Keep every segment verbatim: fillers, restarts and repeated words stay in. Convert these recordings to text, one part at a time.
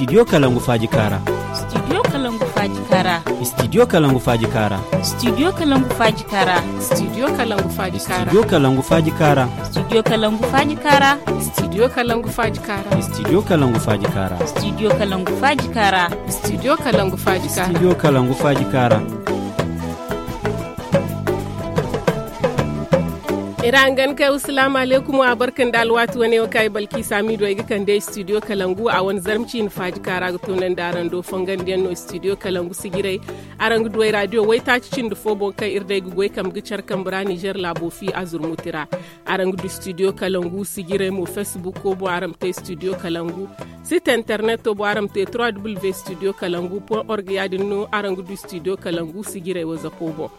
Studio Kalangu Faaji Kaara. Studio Kalangu Faaji Kaara. Studio Kalangu Faaji Kaara. Studio Kalangu Faaji Kaara. Studio Kalangu Faaji Kaara. Studio Kalangu Faaji Kaara. Studio Kalangu Faaji Kaara. Studio Kalangu Faaji Kaara. Studio Kalangu Faaji Kaara. Studio Kalangu Faaji Kaara. Studio Kalangu Faaji Kaara. Studio Kalangu Faaji Kaara. Ira hangan kay, wa salaamu alaykum, wa barka nda alwaati wane wo kaŋ ay balki saamiido ay ga kande studio kalangu a wane zarma ciine faaji kaara ga toonandi araŋ do fongandiyaŋ no studio kalangu sijiray. Araŋ ga du ay raadiyo waytaaci cindi fo boŋ kaŋ iri day ga goy kambe ga care kambe ra nizer laabo fi a zurmuti ra. Araŋ ga du studio kalangu sijiray mo facebook ko boŋ araŋ ma te studio kalangu. Site internet to boŋ araŋ ma te trois w studio kalangu point org ya- din no araŋ ga du studio kalangu sijiray wazapo boŋ.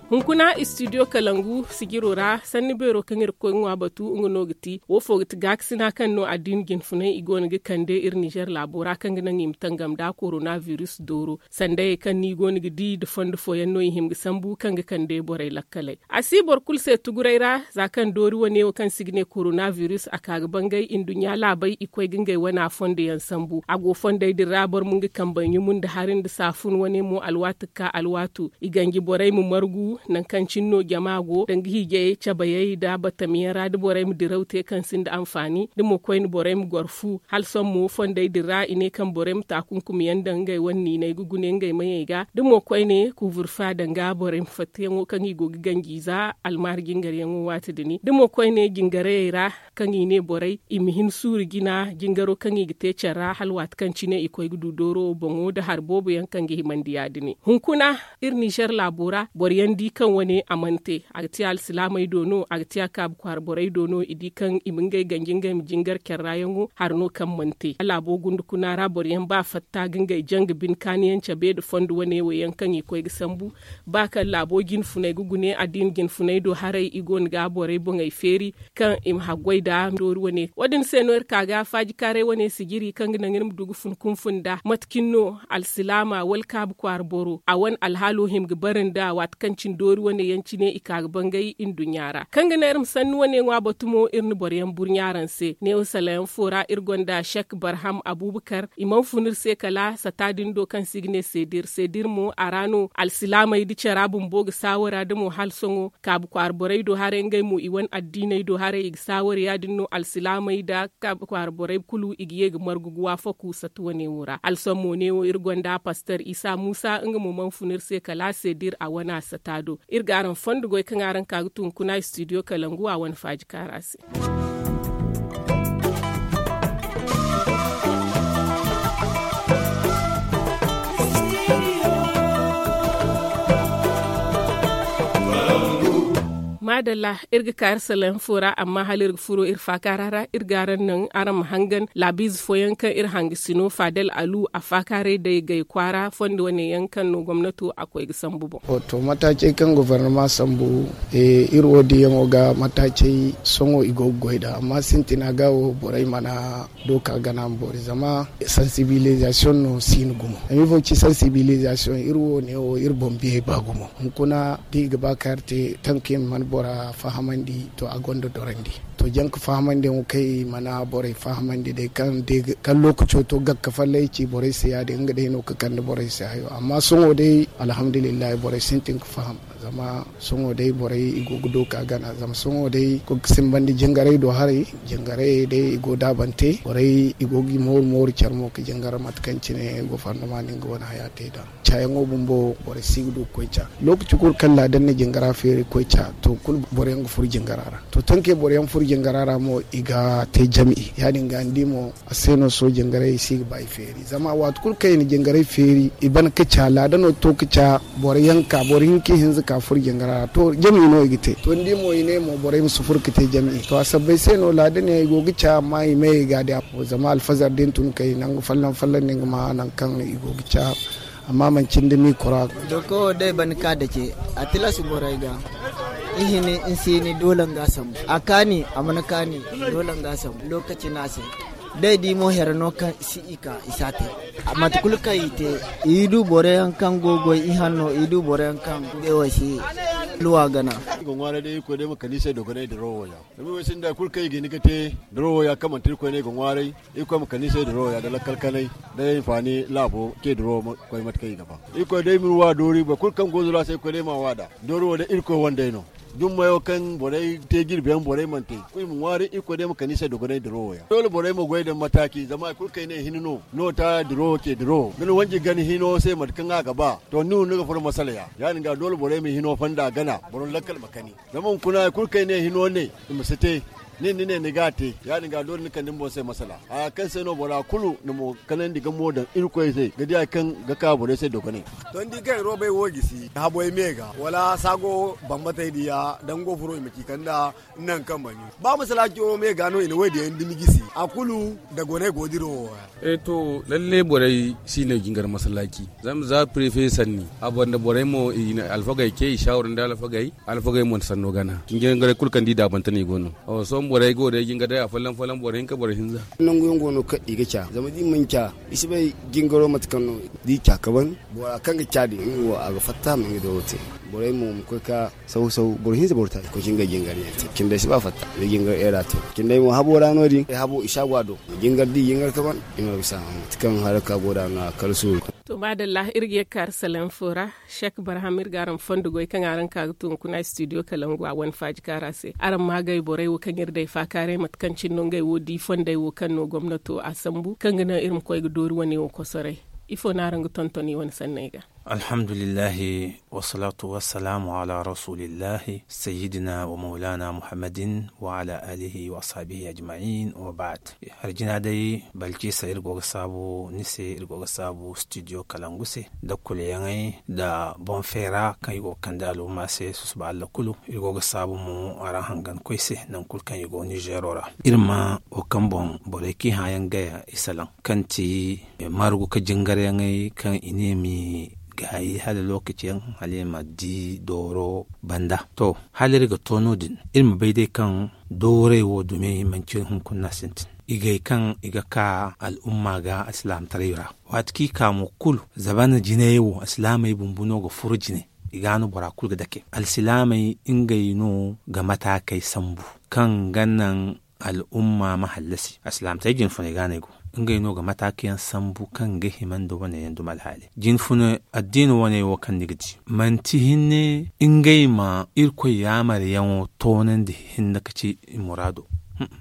Hunkuna studio kalangu sijiro ra sanni beero kaŋ iri ga koy ga ŋwa batu nga no ga ti wo fo ga ti gaakasina kaŋ no addina jinfunay i go no ga kande iri nizer laabo ra kaŋ ga naŋ i ma tangam nda korona virus dooro. Sandayey kaŋ no i go no ga di nda fondo fooyaŋ no i hima ga sambu kaŋ ga kande borey lakkaley. A si boro kulu se tuguray ra za kaŋ doori wane wo kaŋ se i ga ne korona virus a ka ga bangay nduɲɲa laabey i koy ga ngey wana fondo yaŋ sambu a go fondey din ra boro ma nga kambey ɲumu nda hari nda saafun wane mo alwaati ga ka alwaatu. I ganji borey ma margu nangu kaŋ cine no jama go danga hiijayey cabayey nda batamiyaŋ ra da borey ma diraw te kaŋ sinda anfaani da mo koyne borey ma goro fu hala sohõ mo fondey din ra i ne kaŋ borey ma taakunkumiyaŋ daŋ ngey wane niiney ga gune ngey mayey ga da mo koyne kuuburfa danga borey ma fattayaŋo kaŋ i go ga ganji za almaari jingaryaŋo waati din da mo koyne jingarayey ra kaŋ i ne borey i ma hin suuru jina jingaro kaŋ i ga te care ra hala waati kaŋ cine i koy ga du dooro wo boŋo nda hari boobo yaŋ kaŋ ga himandi ya- din hunkuna. Iri nizer laabo ra boro yaŋ di kaŋ wane a mana te a ga te alsilaamey do no a ga te a kaabu kwaara borey do no i di kaŋ i ma ngey ganji ngey ma jingar care ra yaŋo hari no kaŋ mana te laabo gundukuna ra boro yaŋ ba fatta ga ngey janga bine kaani yaŋ cabe nda fondo wane wo yaŋ kaŋ i koy ga sambu ba kaŋ laabo jinfuney ga gune addina jinfuney do haray i go no ga borey boŋey feeri kaŋ i ma haggoy nda doori wane wo- din se no iri ka ga faajikaaray wane sijiri kaŋ ga naŋ iri ma du ga fun kunfun nda mate cine no alsilaama wala kaabu kwaara boro a wane alhaalo hima ga bare nda waati kaŋ cine doori wane yaŋ cine i ka ga bangay nduɲɲa ra kaŋ ga naŋ iri ma sanni wane ŋwa batu mo iri na boro yaŋ burɲa araŋ se neewo salayaŋ fo ra iri gonda sek barham abubakar i mana fun iri se kala sata din do kaŋ se i ga ne seedir seedir mo a ra no alsilaamey da cara bumbo ga saawara da mo hala sohõ kaabu kwaara borey do haray ngey mo i wane addiiney do haray i ga saawara ya- din no alsilaamey nda kaabu kwaara borey kulu i ga ye ga margu ga waafaku sata wane wo ra alsohõ mo neewo iri gonda paster isa muusa nga mo mana fun iri se kala a se da iri a wane a sata do iri ga araŋ fondo goy kaŋ araŋ ka ga tun kuna studio kalangu a wane faaji kaara se. Maadalla, iri ga ka iri salaŋ fo ra amma hala iri ga furo iri faakaara ra iri ga araŋ naŋ araŋ ma hangan laabiize fooyaŋ kaŋ iri hangasino faadal alu a faakaaray day gay kwaara fondo wane yaŋ kaŋ no gomnato a koy ga sambu boŋ. To mataacey kaŋ gofornama sambu iri wo diyaŋo ga mataacey sohõ i go ga goy nd'a amma sintina ga wo borey mana dooka gana ma boori zama sansibilizasiyoŋ no siino gumo zama ifo ga ci sansibilizasiyoŋ iri wo neewo iri boŋ biyey ba gumo hunkuna da i ga ba kaŋ iri te tanka i ma mana bora fahamandi to a gonda dorandi. To jaŋ ga fahamandiyaŋo kaŋ i mana borey fahamandi day kaŋ day kaŋ lookaco to gakka fallay ci borey se ya- din nga day no ga kande borey se hayo amma sohõ day alhamdulillahi borey sintin ga faham. Zama sohõ day borey i go ga dooka gana zama sohõ day ga simbandi jingarey do haray jingarey day i go daabante borey i go ga i mooru mooru care mo ga jingar mate kaŋ cine gofornama no nga wane haya te nd'a. Caayaŋo bumbo borey si ga du ga koy ca lookaci kulu kaŋ laadan na jingara feeri ga koy ca to kulu boro yaŋ ga furo jingara ra to tankey boro yaŋ furo jingara ra mo i ga te jam'i ya- din ga ni di mo a se no sohõ jingarey i si ga ba i feeri zama waati kulu kaŋ i na jingarey feeri i ban ga ca laadano to ga ca boro yaŋ ka boro hinka ihinza ka furo jingara ra to jam'i no i ga te to ni di mo i ne mo borey ma si furo ga te jam'i to a sabbay se no laadan yaŋ i go ga ca amma i may i ga a di a fo zama alfazar da ni tun kay nangu folloŋ folloŋ no ni ga ma nangu kaŋ i go ga ca. Amma manci ni da mikoro a ga. Dooko wo day ban ga ka dake a tilas borey ga. Ihini nsiini doole nga sambu a kaani a mana kaani doole nga sambu lookaci no a se. Day di mo here no kaŋ si i ka i si a te. Mate kulu kaŋ i te i du boro yaŋ kaŋ go goy ihanno i du boro yaŋ kaŋ ngey wo si Luwa gana. I ga ŋwaaray day irkoy day ma kani se dogonay dirawo ya. Zama i wo sinda kulu kaŋ i ga hin ga te dirawo ya kaŋ manti irkoy no i ga ŋwaaray. Irkoy ma kani se dirawo ya da lakkal kanay da hinfaani laabo ce dirawo ma koy mate kaŋ i ga ba. Irkoy day ma iri wa doori boro kulu kaŋ go dirawo se irkoy day ma a wa da doori wo day irkoy wandey no. Dummayo kaŋ borey te jirbi yaŋ borey mana te kulu i ma ŋwaaray irkoy day ma kani se dogonay dirawo ya. Doole borey ma goy daŋ mataaki zama hari kulu kaŋ i ne hina no no ta dirawo ce dirawo da ni wanji gana hino se mate kaŋ a ga ba. To ni wo ni ga furo masala ya ya- din ga doole borey ma hino fonda gana boro lakkal ma kani. Zama hunkuna hari kulu kaŋ i ne hino ne i ma si te. Nin ni ne ni ga a te ya- din ga doole ni kande ni boŋ se masala haya kaŋ se no bora kulu na mo kanandi ga mo daŋ irkoy se ga di hari kaŋ ga ka borey se dogonay. To ni di kaŋ i roobey wo gisi habo ay me ga wala saago bambatey diya dango furo i ma ci kanda. Nangu kaŋ bani ba masalaci wo me ga no i na wo diyaŋ dumi gisi a kulu da goney go dirawo wo ra. E to lalle borey si no i jingar masalaci zama za prefe sanni a banda borey mo i na alfagey ce i saawara nda alfagey. Alfagey mo na sanno gana jingaray kulu kaŋ di daabante no i go no. Sohõ borey go day jingar day afolloŋ folloŋ boro hinka boro hinza. Nangu yaŋ go no kaŋ i ga ca zama da i mana ca i si bay jingaro mate kaŋ no da i ca ka ban. Bora kaŋ ga ca din nga wo a ga fatta ma nga doro te. Borey mo ma koy ka saw saw boro hinza boro taaci koy ka ngey jingar yaŋ te cindey si ba fatta nga jingar era te. Cindey mo habo ra no- din ay habo i si a go a do. Jingar da i jingar ka ban i ma bisa mate kaŋ haraka go da no a kala suuru. To maadalla iri ga ye ga ka arasalan fo ra. Sek barham iri ga araŋ fondo goy kaŋ araŋ ka ga tun kuna studio kalangu a wane faaji kaara se araŋ ma gay borey wo kaŋ iri day faakaaray mate kaŋ cine no ngey wo di fondey wo kaŋ no gomnato a sambu kaŋ ga naŋ iri ma koy ga doori wane wo kosoray. Ifo no araŋ ga tonton i wane sanney ga? Alhamdulillahi, wassalatu wassalamu ala rasulillahi sayyidina wa maulana muhammadin wa ala alihi wa ashabihi ajma'in wa ba'd. Hari jina day balcisa iri go ga saabu ni se iri go ga saabu studio kalangu se nda kuleyaŋey nda boŋ feera kaŋ i go ga kande al'umma se susuba allah kulu. Iri go ga saabu mo araŋ hangan koy se nangu kulu kaŋ i go nizeero ra. Iri ma wo kaŋ boŋ borey kaŋ i hã yaŋ gaya i salaŋ kaŋ ti margu ka jingaryaŋey kaŋ i ne ma i gaayi hala lokaci yaŋ hala i ma di dooro banda. To hala iri ga to no- din iri ma bay day kaŋ dooray wo dumi manci hunkuna no a sintin. Igey kaŋ i ga ka al'umma ga alsilaamataray ra waati kaŋ i ka mo kulu zamana jinay wo alsilaamey bumbu no ga furo jine. I ga no bora kulu ga dake alsilaamey ngey no ga mataakey sambu kaŋ ga naŋ al'umma ma hallasi alsilaamataray jinfunay ga no ay go. Ngey no ga mataakayaŋ sambu kaŋ ga hima nda wane yaŋ duma alhaali jinfuna addiina wane wo kaŋ ni ga di manti hinne ngey ma irkoy yaamaryaŋo toonandi hinne ka ci i muraado.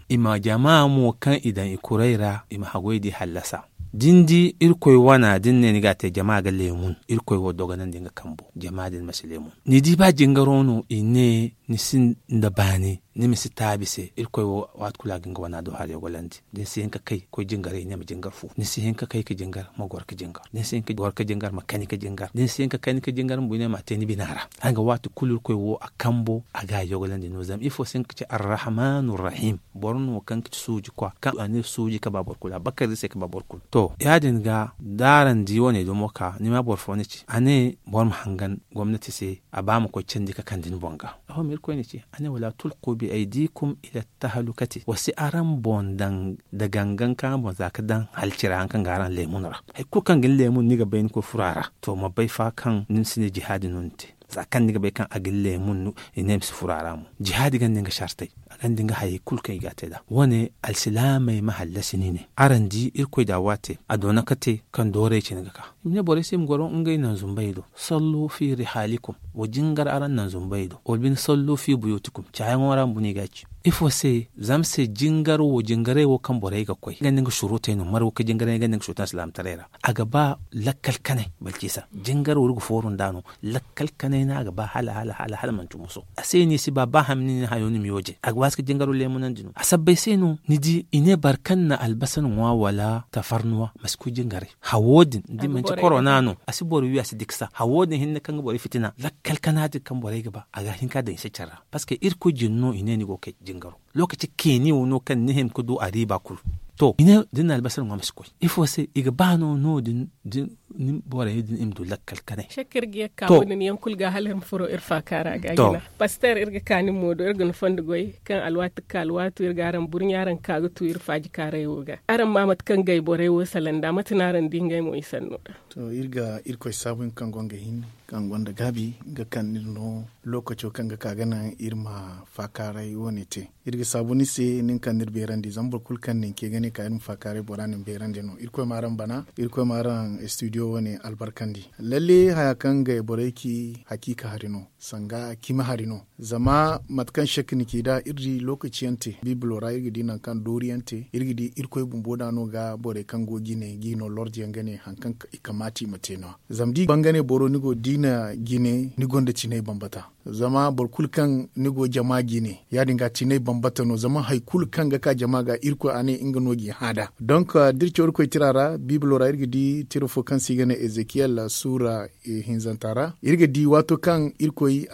I ma jama mo kaŋ i daŋ i kuray ra i ma haggoy di hallasa. Da ni di irkoy wana da ni ne ni ga a te jama ga leemun irkoy wo dogonandi nga kambo jama din ma si leemun. Ni di ba jingaro no i ne ni sinda baani ni ma si taabi se irkoy wo waati kulu a ga nga wana do hari yogolandi. Da ni si hin ka kay koy jingaray i ne ma jingar fu ni si hin ka kay ka jingar ma goro ka jingar da ni si hin ka goro ka jingar ma kani ka jingar da ni si hin ka kani ka jingar ma bu i ne ma a te ni bina ra. Hanga waati kulu irkoy wo a kambo a ga a yogolandi no zama ifo se nga ka ci arrahmanu rahim. Boro no kaŋ ga ci suuji kwa kaŋ a ne suuji ka ba boro kulu a bakar se ka ba boro kulu to ya- din ga da araŋ di wane dumo ka ni ma boro fo ni ci a ne boro ma hangan gomnati se a ba ma koy candi ka kande ni boŋ ga. Aho ma irkoy ni ci a ne wala tulku bi aydikum ila tahalukati wa si araŋ boŋ daŋ da gangan kaŋ araŋ boŋ za ka daŋ halci ra haŋ kaŋ ga araŋ leemun ra. Hari kulu kaŋ ga ni leemun ni ga bay ni koy furo a ra to ma bay fa kaŋ ni si ne jihaadi no ni te. Za kaŋ ni ga bay kaŋ a ga ni leemun no i ne ma si furo a ra mo jihaadi ganda nga sartey a ganda nga hayey kulu kaŋ i ga a te nd'a wane alsilaamey ma hallasi ni ne araŋ di irkoy da a waate a doona ka te kaŋ dooray cine ga ka. I ma ne borey se i ma goro ngey naŋ zumbey do. Sallu fi rihalikum wa jingar araŋ naŋ zumbey do wala bine sallu fi buyutikum caayaŋo ra bumbo no i ga a ci. Ifo se zama se jingar wo jingaray wo kaŋ borey ga koy i ganda nga surutey no margu ka jingaray i ganda nga surutey alsilaamataray ra. A ga ba lakkal kanay balcisa jingar wo iri ga fooru nd'a no. Lakkal kanay no a ga ba hala hala hala hala manti muso a se ni si ba ba hamni ni hayo ni ma yooje a ga waasi ka jingaro leemunandi no a sabbay se no ni di i ne boro kaŋ na albasa ŋwa wala tafarnuwa ma si koy jingaray. Hawo din da manti korona no a si boro wi a si diksa hawo din hinne kaŋ ga borey fitina lakkal kana din kaŋ borey ga ba a ga hin ka daŋ i se care ra parceque irkoy jin no i ne ni go ga kay jingaro. Lokaci keeni wo no kaŋ ni hima ga du a riiba kulu. To i ne da ni na albasa ŋwa ma si koy ifo se i ga ba no no- din da Borey din i ma du lakkal kanay. Shakka iri ga ye ga ka wadin yaŋ kulu ga hala iri ma furo iri faakaara ga jina. Paster, iri ga ka nin mo do, iri ga ni fondo goy kaŋ alwaati ga ka alwaati iri ga araŋ burɲa araŋ ga ka ga tu iri faaji kaaray wo ga araŋ ma mate kaŋ gay borey wo salaŋ da mate no araŋ di ngey mo i sanno da. To, iri ga irkoy saabu nga kaŋ go nga hin kaŋ gonda gaabi ga kande iri no lookaco kaŋ ga ka ga naŋ iri ma faakaaray wo- ne te. Iri ga saabu ni se nin kaŋ ni iri beerandi zama boro kulu kaŋ na ni ce ga ne ka iri ma faakaaray bora na ni beerandi no. Irkoy ma araŋ bana, irkoy ma araŋ studio wo- ne albarkandi. Lalle haya kaŋ gay borey ci hakiika hari no, sanga cimi hari no. Zama mate kaŋ shek ni ci nd'a iri di lookaci yaŋ te biibilo ra iri ga di nangu kaŋ doori yaŋ te iri ga di irkoy bumbo nd'a no ga borey kaŋ go jine g'i no lordi yaŋ ga ne hari kaŋ i kamaata i ma te no- ya. Zama da i bangane boro ni go diina jine ni gonda cinay bambata. Zama boro kulu kaŋ ni go jama jine ya- din ga cinay bambata no zama hari kulu kaŋ ga ka jama ga irkoy a ne nga no g'i hã nd'a. Donk da iri caw irkoy tira ra biibilo ra iri ga di tira fo kaŋ se i ga ne ezekiyel suura hinzanta ra iri ga di waato kaŋ irkoy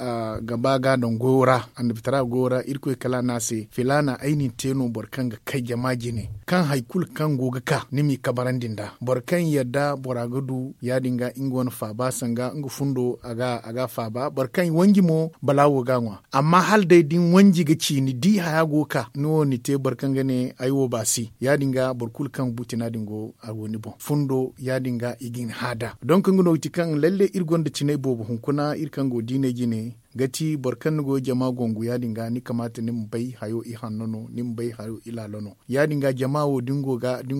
ga ba ga a daŋ goyo ra annabitara goyo ra irkoy kala a ne a se filaana ay na ni te no boro kaŋ ga kay jama jine kaŋ hari kulu kaŋ go ga ka ni m'i kabarandi nd'a boro kaŋ yadda bora ga du ya- din ga nga wane faaba sanga nga fundo a ga a faaba boro kaŋ wanji mo balaawo ga a ŋwa. Amma hala day da ni wanji ga ci ni di haya go ga ka ni wo ni te boro kaŋ ga ne ay wo baasi ya- din ga boro kulu kaŋ butina din go a go ni boŋ fundo ya- din ga i ga ni hã nd'a donk nga no ga ti kaŋ lalle iri gonda cinay boobo hunkuna iri kaŋ go diinay jine ga ti boro kaŋ ni go jama gongu ya- din ga ni kamaata ni ma bay hayo ihanno no ni ma bay hayo ilaalo no. Ya- din ga jama wo da ni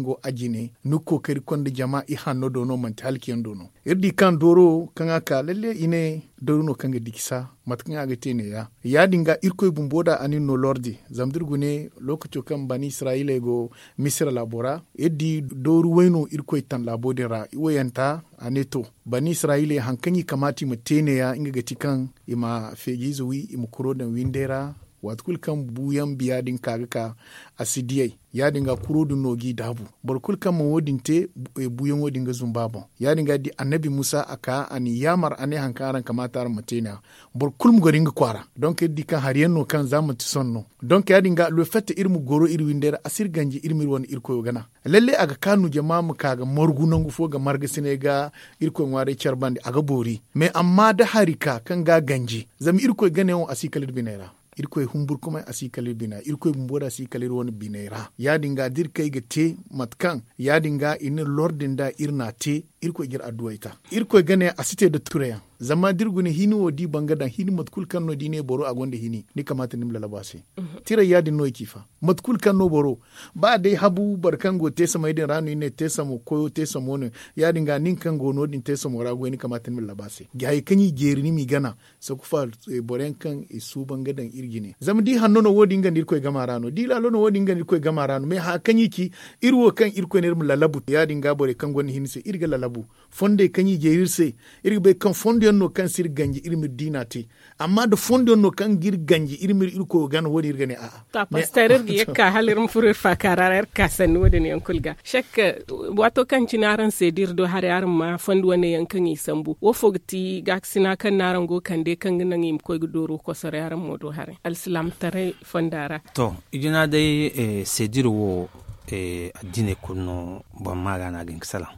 go a jine ni ga kookari konda jama ihanno do no manti halki yaŋ do no. Iri di kaŋ dooro kaŋ a ka lalle i ne dooro no kaŋ ga dikisa mate kaŋ a ga te neeya ya- din ga irkoy bumbo da a na iri no lordi zama da iri gune lookaco kaŋ bani israyiley go misira laabo ra iri di dooru way no irkoy taŋ laabo din ra iwayanta a ne to bani israyiley hari kaŋ i kamaata i ma te neeya nga ga ti kaŋ i ma feejiize wi i ma kuro daŋ windey ra waati kulu kaŋ buuyaŋ biya din ka ga ka a si diyay ya- din ga kuro din no g'i daabu. Boro kulu kaŋ mana wo- din te buuyaŋo din ga zumba a boŋ ya- din ga da annabi musa a ka a n'i yaamar a ne hari kaŋ araŋ kamaata araŋ ma te neeya boro kulu ma goro nga kwaara donk iri di kaŋ hari yaŋ no kaŋ za manti sohõ no donk ya- din ga lofette iri ma goro iri windey ra a si iri ganji iri ma iri wane irkoyo gana. Lalle a ga kaanu jama ma ka ga margu nangu fo ga margasinay ga irkoy ŋwaaray care bande a ga boori. Mais amma da hari ka kaŋ ga a ganji zama irkoy ganey wo a si kala iri biney ra. Irkoy humburkumay a si kala iri bina irkoy bumbo da a si kala iri wane biney ra ya- din ga da iri kay ga te mate kaŋ ya- din ga i na iri lordi nda iri n'a te. Irkoy ga iri adduwey ta irkoy gane a si te nda tureyaŋ. Zama da iri guna hini wo da i ban ga daŋ hini mate kulu kaŋ no da i ne boro a gonda hini ni kamaata ni ma lalabu a se. Tiray ya- din no i ci fa mate kulu kaŋ no boro ba day habu boro kaŋ go teesamey din ra no i ne teesamo koyo teesamo no ya- din ga nin kaŋ go no- din teesamo ra goy ni kamaata ni ma lalabu a se. Hayey kaŋ i jeeri ni m'i gana sakufa boro yaŋ kaŋ i suuban ga daŋ iri jine zama da i hanno no wo- din nga nda irkoy gama ra no da i laalo no wo- din nga nda irkoy gama ra no mais haya kaŋ i ci iri wo kaŋ irkoy ne iri ma lalabu ya- din ga borey kaŋ gonda hinne se iri ga lalabu. Fondey kaŋ i jeeri iri se iri ga bay kaŋ fondo yaŋ no kaŋ si iri ganji iri ma iri diina te. Amma da fondo yaŋ no kaŋ ga iri ganji iri ma iri irkoyo gana wo- din iri ga ne a'a. To a paster iri ga ye ga ka hala iri ma furo iri faakaara ra iri ga ka sanni wo- din yaŋ kulu ga shek. Waato kaŋ cine araŋ se da iri do haray araŋ ma fondo wane yaŋ kaŋ i sambu wo fo ga ti gaakasina kaŋ no araŋ go ga kande kaŋ ga naŋ i ma koy ga dooro kosoray araŋ mo do haray alsilaamataray fonda ra? To, ijina day sedir wo addiney kulu no boro ma ga no a ga hin ga salaŋ.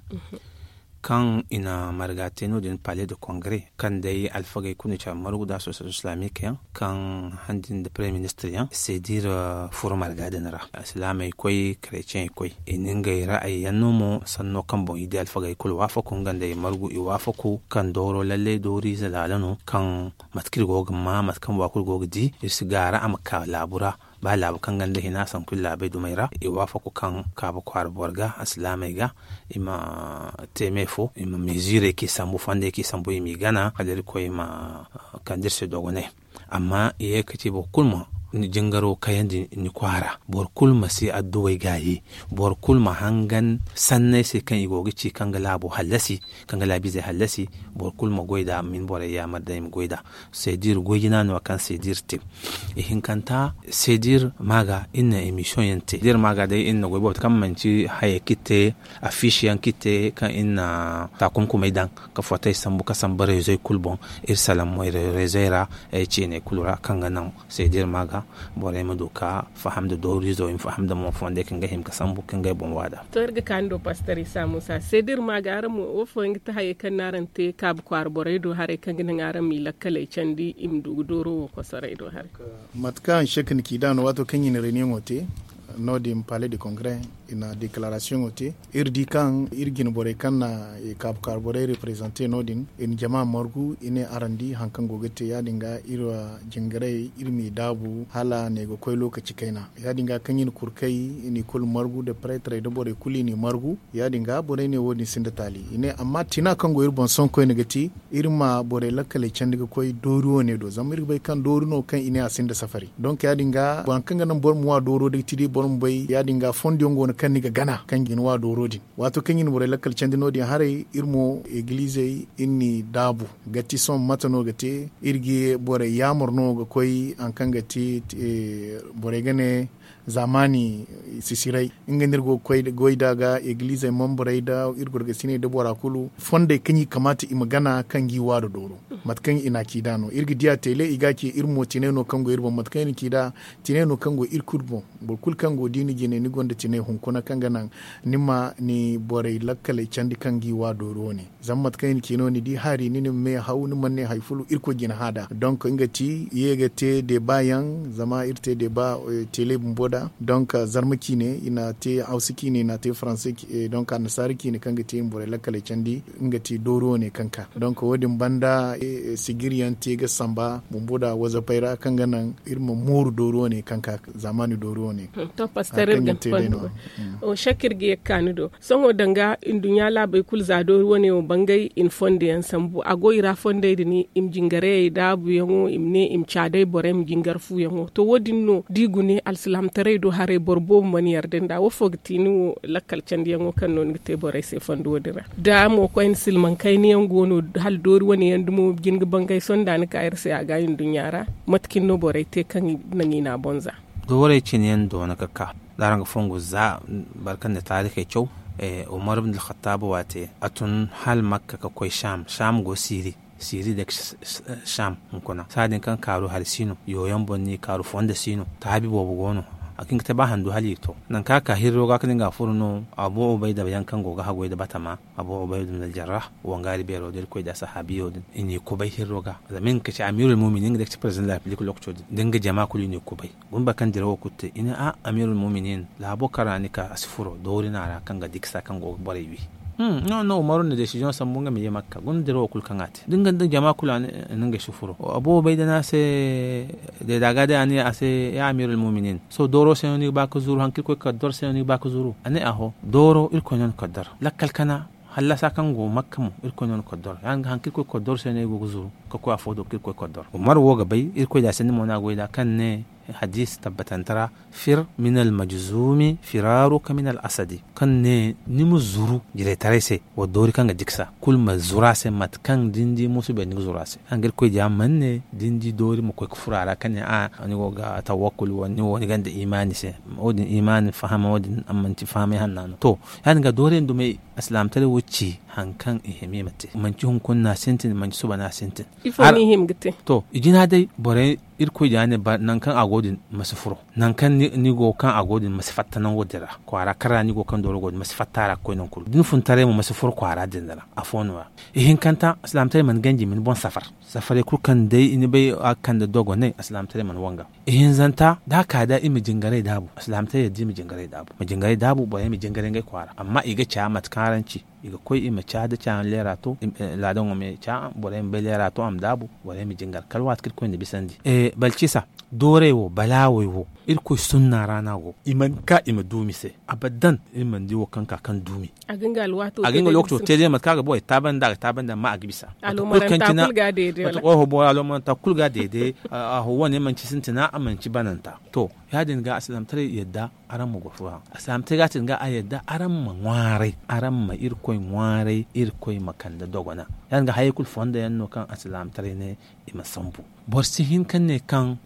Kaŋ i na marga te no- din pale de kongre kaŋ day alfagey kulu na care margu nda association islamique yaŋ kaŋ handi nda premier ministre yaŋ sedir furo marga din ra. Alsilaamey koy, kereciyey koy i na ngey ra'ayi yaŋ no mo sanno kaŋ boŋ i di alfagey kulu waafaku nga nda i margu i waafaku kaŋ dooro lallay dooriize laala no kaŋ mate kaŋ iri go ga ma mate kaŋ bora kulu go ga di iri si gaara a ma ka laabu ra. Ba laabu kaŋ ganda hina sanku iri laabey dumey ra i waafaku kaŋ kaabu kwaara boro ga alsilaamey ga i ma te me fo i ma meziirey kaŋ i sambu fondey kaŋ i sambu i m'i gana hala irkoy ma kande iri se dogonay. Amma i ye ga ci boro kulu ma ni jingaro kayandi ni kwaara. Boro kulu ma si adduwey gaayi. Boro kulu ma hangan sanney se kaŋ i go ga ci kaŋ ga laabo hallasi kaŋ ga laabiizey hallasi. Boro kulu ma goy nd'a ma hin borey yaamar day i ma goy nd'a. Sedir goy jina no kaŋ sedir te. Ihinkanta sedir maaga iri na emission yaŋ te sedir maaga day iri na goy boobo te kaŋ manci hayey kaŋ iri te afiisi yaŋ kaŋ iri te kaŋ iri na taakumkumey daŋ ka fotey sambu ka samba reezoy kulu boŋ. Iri salaŋ moy reezoy ra ceeney kulu ra kaŋ ga naŋ sedir maaga. Borey ma du ka faham nda dooriizo i ma faham nda mo fondey kaŋ ga hima ga sambu kaŋ ga ay boŋ waada. To iri ga kaani do pastor isa muusa se da iri ma ga araŋ mo wo fooyaŋ ga ti hayey kaŋ no araŋ te kaabu kwaara borey do haray kaŋ ga naŋ araŋ ma i lakkaley candi i ma du ga dooro wo kosoray do haray. Mate kaŋ shek na ci da no waato kaŋ i na reuniyoŋo te no- din palais de congrès i na deklaarasiyoŋo te. Iri di kaŋ iri jine borey kaŋ na kaabu kwaara borey reprezante no- din i na jama margu i ne araŋ di hari kaŋ go ga te ya- din ga iri jingaray iri m'i daabu hala ne ga koy lookaci kayna. Ya- din ga kaŋ i na kurkay i n'i kulu margu nda pareetarey nda borey kulu i n'i margu. Ya- din ga borey ne wo- din sinda taali i ne amma tina kaŋ go iri boŋ sohõ koyne ga ti iri ma borey lakkaley candi ga koy doori wo- ne do zama iri ga bay kaŋ doori no kaŋ i ne a sinda safari. Donk ya- din ga boro kaŋ ga naŋ boro ma wa dooro day ti day boro ma bay ya- din ga fondo yaŋ go no kaŋ ni ga gana kaŋ ga ni wa dooro din. Waato kaŋ i na borey lakkal candi no- din haray iri mo egilizey iri n'i daabu ga ti sohõ mate no ga te iri ga borey yaamar no ga koy hari kaŋ ga ti borey ga ne zaamaani sisiray. Nga no iri go ga koy goy nd'a ga egilizey membarey nda iri gorgasiney nda bora kulu fondey kaŋ i kamaata i ma gana kaŋ ga i wa nda dooro. Mate kaŋ i na a ci nd'a no iri ga di a teele i ga a ci iri mo tinay no kaŋ go iri boŋ mate kaŋ i na ci nd'a tinay no kaŋ go iri kulu boŋ. Boro kulu kaŋ go da i na jine ni gonda tinay hunkuna kaŋ ga naŋ ni ma ni borey lakkaley candi kaŋ ga i wa doori wane. Zama mate kaŋ i na ci no ni di hari ni na ma me haw ni mana ne hari fulu irkoy jina hã nd'a donk nga ti ye ga te deeba yaŋ zama iri te deeba tele bumbo nd'a. Donk zarma ciine i na te hawsa ciine i na te faranse donk annasaara ciine kaŋ ga te i ma borey lakkaley candi nga ti doori wane kaŋ ka donk wo- din banda sijir yaŋ te ga samba bumbo nd'a wazapey ra kaŋ ga naŋ iri ma mooru doori wane kaŋ ka zaamaani doori wane. To pastor iri ga ni fondo. Shek iri ga ye ga ka ni do sohõ danga nduɲɲa laabey kulu za doori wane wo bangay i na fondo yaŋ sambu a go i ra fondey din i ma jingarayey daabu yaŋo i ma ne i ma caadey borey ma jingar fu yaŋo to wo- din no da i gune alsilaamataray do haray boro boobo mana yarda nd'a wo- fo ga ti ni wo lakkal candi yaŋo kaŋ no ni ga te borey se fondo wo- din ra da mo koyne silmaŋ kayna yaŋ go no hala doori wane yaŋ dumo jin ga bangay sohõ da ni ka iri se a ga nduɲɲa ra. Mate cine no borey te kaŋ naŋ i n'a boŋ za. Doorey cine yaŋ doona ga ka da araŋ ga fongu za boro kaŋ na taarikey caw. Umar ibn alkhattab waate a tun hala makka ga koy sham sham go siiri siiri day ga sham hunkuna saadin kaŋ kaaru hari si no yooyaŋ boŋ no i kaaru fondo si no taabi boobo go no. A ga hin ga te ba handu hala i to nangu kaŋ a ka hirro ga ka din ga a furo no abu ubayda yaŋ kaŋ go ga haggoy nda batama abu ubayda ibn aljarrah wangaari beero da irkoy da sahaabiyo din i n'i kubay hirro ga zama nga ga ci amiirul muminin nga day ga ci perezidaŋ da republik lookaco din da nga jama kulu i n'i kubay. Guna boro kaŋ dirawo kulu te i ne a amiirul muminin laabo kaŋ ra ni ka a si furo doori no a ra kaŋ ga diksa kaŋ go ga borey wi. No no umaru na desiziyoŋ sambu nga ma ye makka guna dirawo kulu kaŋ a te da nga nda jama kulu a ne nga si furo abu ubayda no a se deeda ga day a ne a se ya amiirul muminin sohõ dooro se no ni ga ba ga zuru hari kaŋ irkoy ga kaddar se no ni ga ba ga zuru a ne aho dooro irkoy no na kaddar lakkal kana hallasa kaŋ go makka mo irkoy no na kaddar ya- din ga hari kaŋ irkoy ga kaddar se no ay go ga zuru ga koy afo do kaŋ irkoy ga kaddar umaru wo ga bay irkoy da sanni mo no a goy nd'a kaŋ ne hadiisi tabbatante ra fir min almajzumi firaruka min alasadi kaŋ ne ni ma zuru jiraytaray se wa doori kaŋ ga diksa kulu ma zuru a se mate kaŋ da ni di musu beeri ni ga zuru a se kaŋ ga irkoy diya mana ne da ni di doori ma koy ga furo a ra kaŋ ne a ni go ga tawakkul wo- ni wo ni gonda imaani se wo- din imaani fahama wo- din a manti fahamay hanna no to ya- din ga doori yaŋ dumey alsilaamataray wo ci hari kaŋ i hima i ma te manci hunkuna no a sintin manci suba no a sintin. Ifo no i hima ga te? To i jina day borey irkoy diya ne nangu kaŋ a go din ma si furo nangu kaŋ ni go kaŋ a go din ma si fatta nango din ra kwaara kaŋ ra ni go kaŋ dooro go din ma si fatta a ra ga koy nangu kulu da ni fun taray mo ma si furo kwaara din ra. Afo no- ya ihinkanta alsilaamataray mana ganji ma ni boŋ safar safaray kulu kaŋ day ni bay a ga kande dogonay alsilaamataray mana wanga. Ihinzanta da a ka da i ma jingaray daabu alsilaamataray yadda i ma jingaray daabu borey ma jingaray ngey kwaara amma i ga ca mate kaŋ araŋ ci i ga koy i ma ca da ca yaŋ leera to laadaŋo me ca borey ma bay leera to a ma daabu borey ma jingar kala waati kaŋ irkoy na bisandi. Balcisa doorey wo balaawey wo irkoy sunna ra no a go i mana ka i ma duumi se abadan iri mana di wo kaŋ ka kaŋ duumi. A ga nga lookaco te day mate kaŋ a ga ba ay taabandi a ga taabandi amma a ga bisa. Mate kulu kaŋ cina mate kulu ga deede a ho wane manci sintina a manci bananta. To ya- din ga alsilaamataray yadda araŋ ma goro fo haŋ alsilaamataray ga a tin ga a yadda araŋ ma ŋwaaray araŋ ma irkoy ŋwaaray irkoy ma kande dogona. Ya- din ga hayey kulu fondo yaŋ no kaŋ alsilaamataray ne i ma sambu. Boro si hin ka ne kaŋ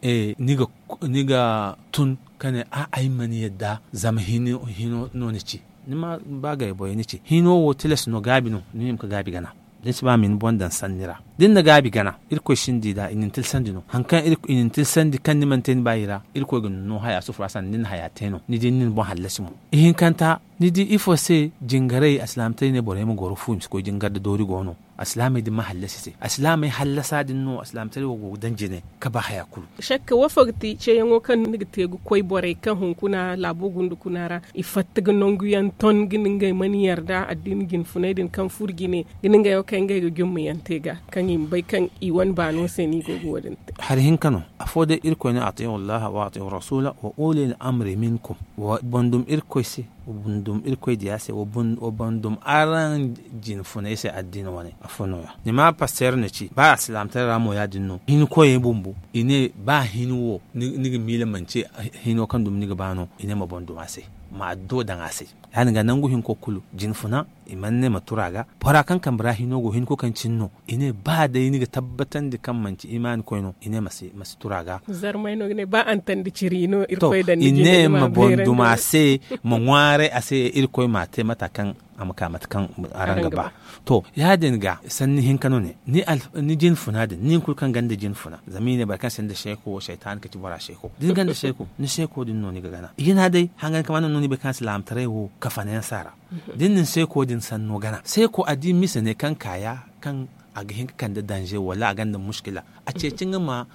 ni ga tun ka ne a'a ay mana yadda zama hino no ni ci. Ni ma ba gay borey ni ci hino wo tilas no gaabi no ni ma hima ka gaabi gana. Da ni si ba ma ni boŋ daŋ sanni ra Da ni na gaabi gana, irkoy sinda i da i na ni tilsandi no. Hari kaŋ i na ni tilsandi kaŋ ni mana te ni baayi ra, irkoy ga ni no haya sufura sanda ni na haya te no. Ni di ni na ni boŋ hallasi mo. Ihinkanta, ni di ifo se jingaray alsilaamataray ne borey ma goro fu i ma si koy jingar da doori go no. Alsilaamey din ma hallasi se. Alsilaamey hallasa din no alsilaamataray wo go ga daŋ jine ka ba haya kulu. Shakka wo fo ga ti ceeyaŋo kaŋ ni ga te ga koy borey kaŋ hunkuna laabo gundu kuna ra, i fatta ga nangu yaŋ ton ga ni ngey mana yarda addiina jinfunay din kaŋ furo jine ga ni ngey wo kaŋ ngey ga jumma yaŋ te ga kaŋ i ma bay kaŋ i wane baano se no i go ga wo- din te. Hari hinka no. Afo day irkoy ne atiihu allaha wa atiihu rasuula wa ulil amri minkum. Wa bandum irkoy se, wa bandum irkoy diya se, wa bandum araŋ jinfunay se addiina wane. Afo no- ya ni ma pasteer na ci ba alsilaamataray ra mo ya- din no. Hinkoyey bumbo i ne ba hin wo ni ga miila manci hino kaŋ dumi ni ga ba no. I ne ma bandum a se, ma adduwa daŋ a se. Ya- din ga nangu hinko kulu jinfuna i mana ne ma turu a ga. Bora kaŋ kambe ra hino go hinko kaŋ cine no. I ne ba day ni ga tabbatandi kaŋ manci imaani koy no i ne ma si turu a ga. Zarmay no ga ne ba antandi ciri no irkoy daŋ ni jine ma bandum a se, ma ŋwaaray a se irkoy ma a te mata kaŋ a ma ka mate kaŋ araŋ ga ba. To, ya- din ga sanni hinka no ne. Ni jinfuna din ni kulu kaŋ ganda jinfuna zama i ne boro kaŋ sinda seeko wo saytaani ka ci bora seeko da ni ganda seeko ni seeko din no ni ga gana i ga ne a day hangan kama no no ni bay kaŋ alsilaamataray wo kafanayaŋ si a ra. Da ni na ni seeko din sanno gana seeko a di mise ne kaŋ kaaya kaŋ a ga hin ka kande danze wala a gonda muskila. A ceeci nga ma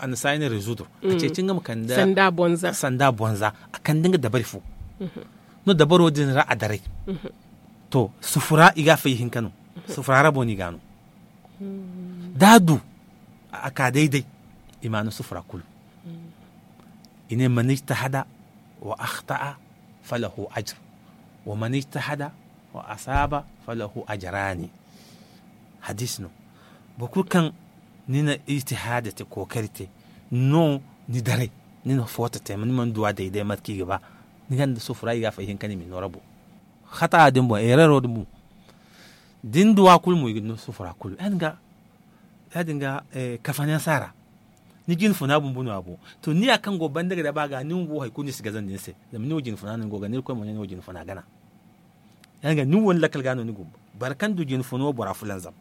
a na si a ne rezudur. A ceeci nga ma kande sanda bonza a kande nga dabari fo. No dabaro din ra a daray. To sufura i ga a fay hinka no. Sufura rabo no i ga a no. Da a du a ka day-day i ma a no sufura kulu. I ne man ijtahada wa akhta'a falahu ajr, wa man ijtahada wa asaaba falahu ajraani. Hadiisi no. Boro kulu kaŋ ni na ijtihaada te kookari te no ni daray, ni na footo te ni mana duw'a day-day mate kaŋ i ga ba. Ni gonda sufura i ga a fay hinka no i ma i no rabo. Khata'a din boŋ erero din boŋ da ni duw'a kulu mo i ga ni no sufura kulu. Ya- din ga kafanayaŋ si a ra. Ni jinfuna bumbo no a boŋ. To ni ya kaŋ go banda ga daba ga ni wo hari kulu ni si gazandi ni se. Zama ni wo jinfuna no ni go ga ni irkoy mo ne ni wo jinfuna gana. Ya- din ga ni wo ni lakkal ga no ni go. Boro kaŋ du jinfuno bora fulanzam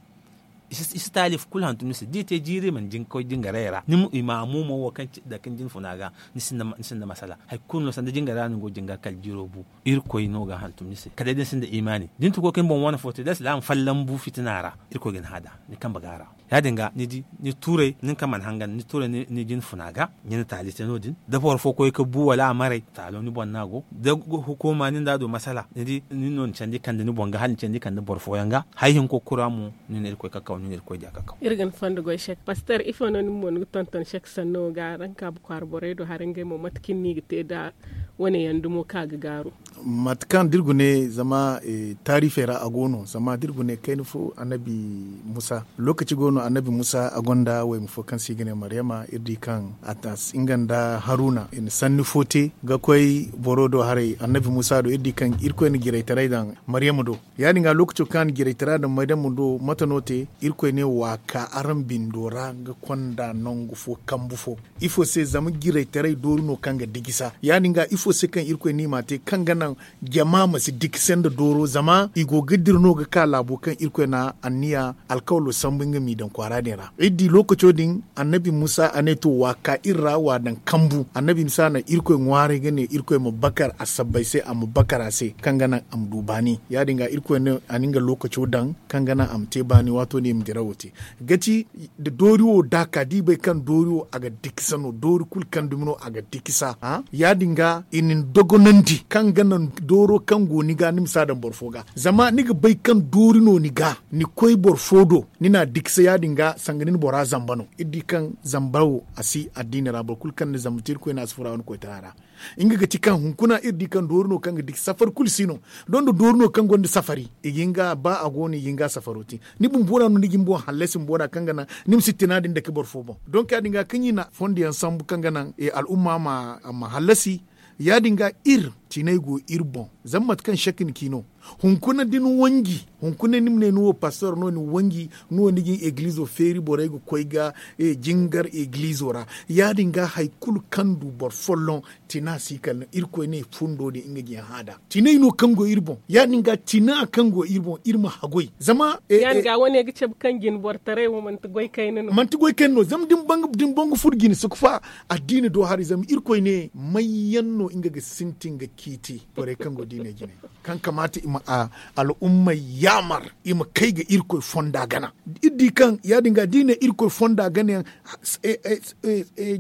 i si taalif kulu hantum ni se da i te jiiri i mana koy jingaray ra ni ma i ma a mo mo wo kaŋ ci dake ni jinfuna ga. Ni sinda masala hari kulu no sanda jingaray ra no ni go jingar kala jiiro bu. Irkoy no ga a hantum ni se kala day da ni sinda imaani da ni tun koy ka ni boŋ wane fo te da alsilaama fallaŋ bu fitina ra. Irkoy ga ni hada ni kambe ga a ra. Ya- din ga ni di ni tuuray nin kaŋ mana hangan ni tuuray ni jinfuna ga ni na taali te no- din da boro fo koy ka bu wala a maray taalo ni boŋ no a go da hukuuma nin da a du masala ni di nin no ni candi kande ni boŋ ga hala ni candi kande boro fooyaŋ ga. Hari hinko kulu ra mo ni na irkoy kakaw ni na irkoy diya kakaw. Iri ga ni fondo goy sek paster ifo no nin mo ni ga tonton sek sanno ga araŋ kaabu kwaara borey do haray ngey mo mate kaŋ ni ga te da wane yaŋ dumo kaŋ a ga gaaru. Mate kaŋ da iri gune zama taarifey ra a go no zama da iri gune kayna fo annabi musa. Lookaci go no annabi musa a gonda wayma fo kaŋ se i ga ne maryama iri di kaŋ a ta nga nda haruna i na sanni fo te ga koy boro do haray annabi musa do iri di kaŋ irkoy na jiraytaray daŋ maryama do. Ya- din ga lookaco kaŋ a na jiraytara daŋ maryama do mate no te irkoy ne wa ka araŋ bindo ra ga konda nangu fo kambu fo. Ifo se zama jiraytaray doori no kaŋ ga dijisa ya- din ga ifo se kaŋ irkoy no i m'a te kaŋ ga naŋ jama ma si dikise nda dooro zama i go ga dira no ga ka laabo kaŋ irkoy na anniya alkawalo sambu nga m'i daŋ kwaara din ra iri di lookaco din annabi musa a ne to wa ka iri ra wa daŋ kambu annabi musa na irkoy ŋwaaray ga ne irkoy ma bakar a sabbay se a ma bakar a se kaŋ ga naŋ a ma du baani ya- din ga irkoy ne a na nga lookaco daŋ kaŋ ga naŋ a ma te baani waato din i ma dirawo te. Ga ci da doori wo da a ka da i bay kaŋ doori wo a ga dikisa no doori kulu kaŋ dumi no a ga dikisa. Ya- din ga i na ni dogonandi kaŋ ga naŋ dooro kaŋ go ni ga ni ma si a daŋ boro fo ga zama ni ga bay kaŋ doori no ni ga ni koy boro fo do ni n'a dikisa ya- din ga sanga ni na bora zamba no iri di kaŋ zamba wo a si addiini ra boro kulu kaŋ na zamba te irkoy no a si fura wane koytara ra. Nga ga ti kaŋ hunkuna iri di kaŋ doori no kaŋ ga dikisa safari kulu si no. Doŋ da doori no kaŋ gonda safari i ga hin ga ba a go no i ga hin ga safaro te. Ni bumbo ra no ni ga ni boŋ hallasi bumbo ra kaŋ ga naŋ ni ma si tina din dake boro fo boŋ donk ya- din ga kaŋ i na fondo yaŋ sambu kaŋ ga naŋ al'umma ma hallasi. Ya- din ga iri tinay go iri boŋ zama mate kaŋ sek ni ci no. Hunkuna da ni wanji, hunkuna ni ma ne ni wo pastor no ni wanji, ni wo ni ga ni egilizo feeri borey ga koy ga jingar egilizo ra. Ya- din ga hari kulu kaŋ du boro folloŋ, tina si kala no irkoy ne fundo din nga ga ni hã nd'a. Tinay no kaŋ go iri boŋ. Ya- din ga tina kaŋ go iri boŋ iri ma haggoy zama ya- din ga wane ga cabe kaŋ jine borotaray wo manti goy kayna no. Manti goy kayna no zama da ni baŋ ga furo jine si ga fa. Addiina do haray zama irkoy ne may yaŋ no nga ga sintin ga ciiti borey kaŋ go diinay jinay, kaŋ kamaata i ma al'ummey yaamar i ma kay ga irkoy fonda gana. Iri di kaŋ ya- din ga da i ne irkoy fonda gana yaŋ,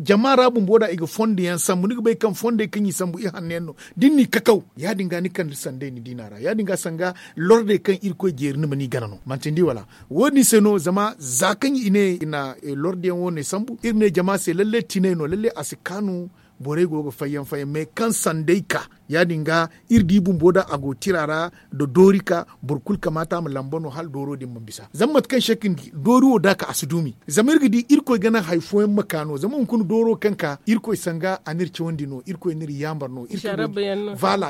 jama ra bumbo da i ga fondo yaŋ sambu ni ga bay kaŋ fondey kaŋ i sambu i hanno yaŋ no. Da ni n'i kakaw ya- din ga ni kande sanday ni diina ra ya- din ga sanga lordey kaŋ irkoy jeeri ni ma ni gana no manti ni di wala? Wo- din se no zama za kaŋ i ne i na lordiyaŋ wo- ne sambu iri ne jama se lalle tinay no lalle a si kaanu. Borey go ga fayyaŋ fayyaŋ mais kaŋ sanday ka ya- din ga iri di bumbo da a go tira ra, da doori ka boro kulu kamaata a ma lamba no hala dooro din ma bisa zama mate kaŋ se ka ni di doori wo da a ka a si duumi. Zama iri ga di irkoy ga naŋ hari fooyaŋ ma ka no zama hunkuna dooro kaŋ ka irkoy sanga a n'iri cawandi no irkoy n'iri yaamar no.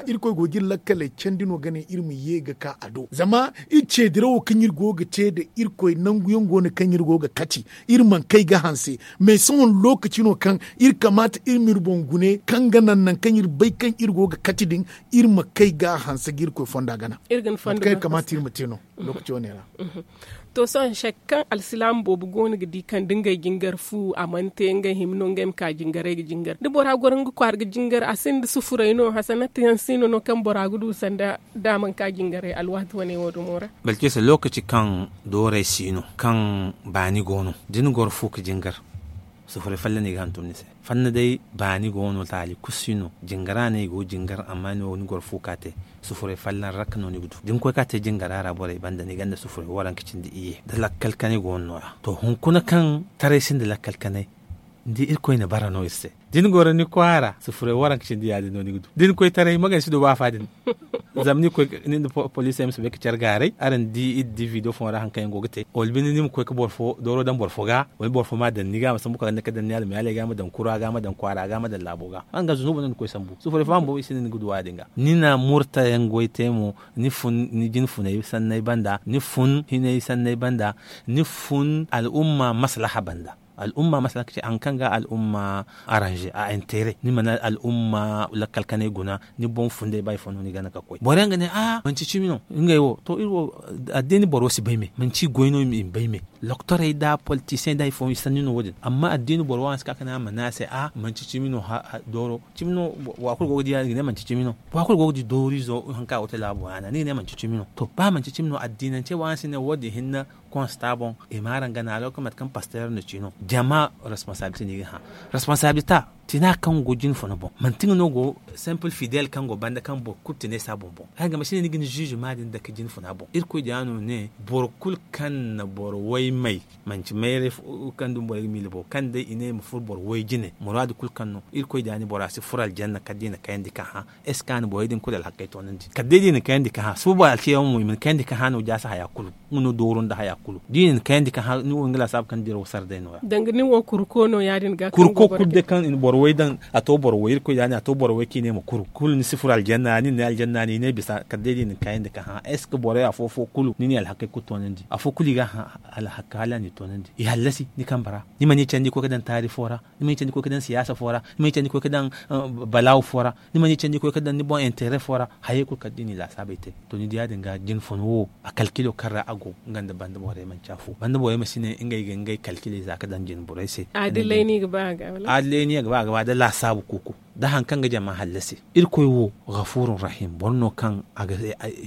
Irkoy go ga iri lakkaley candi no ga ne iri ma ye ga ka a do zama iri ceedirawo kaŋ iri go ga te nda irkoy nangu yaŋ go no kaŋ iri go ga kati. Iri mana kay ga hanse mais sohõ lookaci no kaŋ iri kamaata iri ma iri boŋ gune kaŋ ga naŋ nangu kaŋ iri bay kaŋ iri go ga kati din. Iri ma kay ga hanse ga irkoy fonda gana. Iri ga ni fonda gana kaŋ iri kamaata iri ma te no. Lookaci wane ra. To sohõ se kaŋ alsilaama boobo go no ga di kaŋ da ngey jingar fu a mana te ngey hima no ngey ma ka jingaray ga jingar da bora goro nga kwaara ga jingar a sinda sufuray no hasanat yaŋ si no no kaŋ bora ga du sanda da a mana ka jingaray alwaati wane wo dumo ra. Balkisa lookaci kaŋ dooray si no kaŋ baani go no da ni goro fu ga jingar. Sufuray folloŋ no i ga hantum ni se. Fanna day baani go no taali kulu si no jingara no i go ga jingar amma ni wo ni goro fu ka te. Sufuray folloŋ rakka no ni ga du da ni koy ka te jingara ra borey banda ni gonda sufuray waranka cindi iyye da lakkal kanay go no nooya to hunkuna kaŋ taray sinda lakkal kanay. Ni di irkoy na bara no iri se da ni goro ni kwaara sufuray waranka cindi ya- din no ni ga du da ni koy taray magansi do ba fa din. Zama ni koy ni nda poliisey ma si bay ga care gaaray araŋ di iri di video fooyaŋ ra hari kaŋ yaŋ go ga te wala binde ni ma koy ga boro fo dooro daŋ boro fo ga wala boro fo ma a daŋ ni ga a ma sambu kala ni ga daŋ ni almiyaaley ga ma daŋ kura ga ma daŋ kwaara ga ma daŋ laabo ga. Araŋ ga zunuuba no ni koy sambu sufuray fo a ma boobo i si ne ni ga du wo- ya- din ga ni na murta yaŋ goy te mo. Ni fun ni jine funay sanney banda ni fun hinay sanney banda. Ni fun al'umma maslaha banda. Al'umma maslaha ga ci hari kaŋ ga al'umma aranze a intere ni mana al'umma lakkal kanay guna. Ni boŋ funday ba ifo no ni gana ga koy boro yaŋ ga ne a manci cimi no. Ngey wo to iri wo addeeni boro si bay me manci goy no i ma bay me. Loktorey nda politisiyeŋ nda hari fooyaŋ i sanni no wo- din amma addeeni boro wo a si ka ga ne a ma ne a se a manci cimi no. Dooro cimi no. Bora kulu go ga di ya- din ga ne manci cimi no. Bora kulu go ga di dooriizo hari kaŋ a go ga te laabo yaana ni ga ne manci cimi no to ba manci cimi no addiinance wo a si ne wo- din hinne. Konsta boŋ i ma araŋ gana a lookacin mate kaŋ pasteer no ci no jama responsabilite no i ga hã. Responsabilita tina kaŋ go jine funa boŋ manti nga no go simple fidel kaŋ go banda kaŋ boro kulu tine si a boŋ boŋ. Araŋ ga ma si ne ni ga ni ziizima din dake jine funa boŋ irkoy diya no ne boro kulu kaŋ na boro way may manci mayray kaŋ dumi borey ga miila boŋ kaŋ day i ne i ma furo boro way jine muraadu kulu kaŋ no irkoy diya ni bora si furo aljanna kala da i na kayandi ka hã. Est ce que a na borey din kulu alhakey toonandi kala day da i na kayandi ka hã suuba alciyaamo mo i ma ni kayandi ka hã no jaasa haya kulu. Nga no dooro nda haya kulu da i na ni kayandi ka hã ni wo nga laasaabu kaŋ diraw sara day nooya. Danga nin wo kurko no ya- din ga kurko kulu day kaŋ i na boro way daŋ a to boro way irkoy diya ne a to boro way kaŋ i ne ma kuru kulu ni si furo aljanna nin ne aljanna no i ne bisa kala day da i na ni kayandi ka hã est ce que borey afo fo kulu ni n'i alhakey kulu toonandi afo kulu i ga hã. Alhaka hala a n'i toonandi i hallasi ni kambe ra. Ni mana i candi koy ga daŋ taari fo ra. Ni ma ni candi koy ga daŋ siyaasa fo ra. Ni ma ni candi koy ga daŋ balaawo fo ra. Ni ma ni candi koy ga daŋ ni boŋ intere fo ra. Hayey kulu kala da i n'i laasaabey te to ni di ya- din ga jine funa wo a kalkilo kaŋ ra a go. Nga nda banda borey manci afo banda borey ma si ne ngey ga ngey kalkiley za ga daŋ jine borey se. Aadilay no i ga ba a ga wala aadilay no i ga ba a ga ba da laasaabu kuuku. Da hari kaŋ ga jama hallasi irkoy wo gafurun rahim boro no kaŋ a ga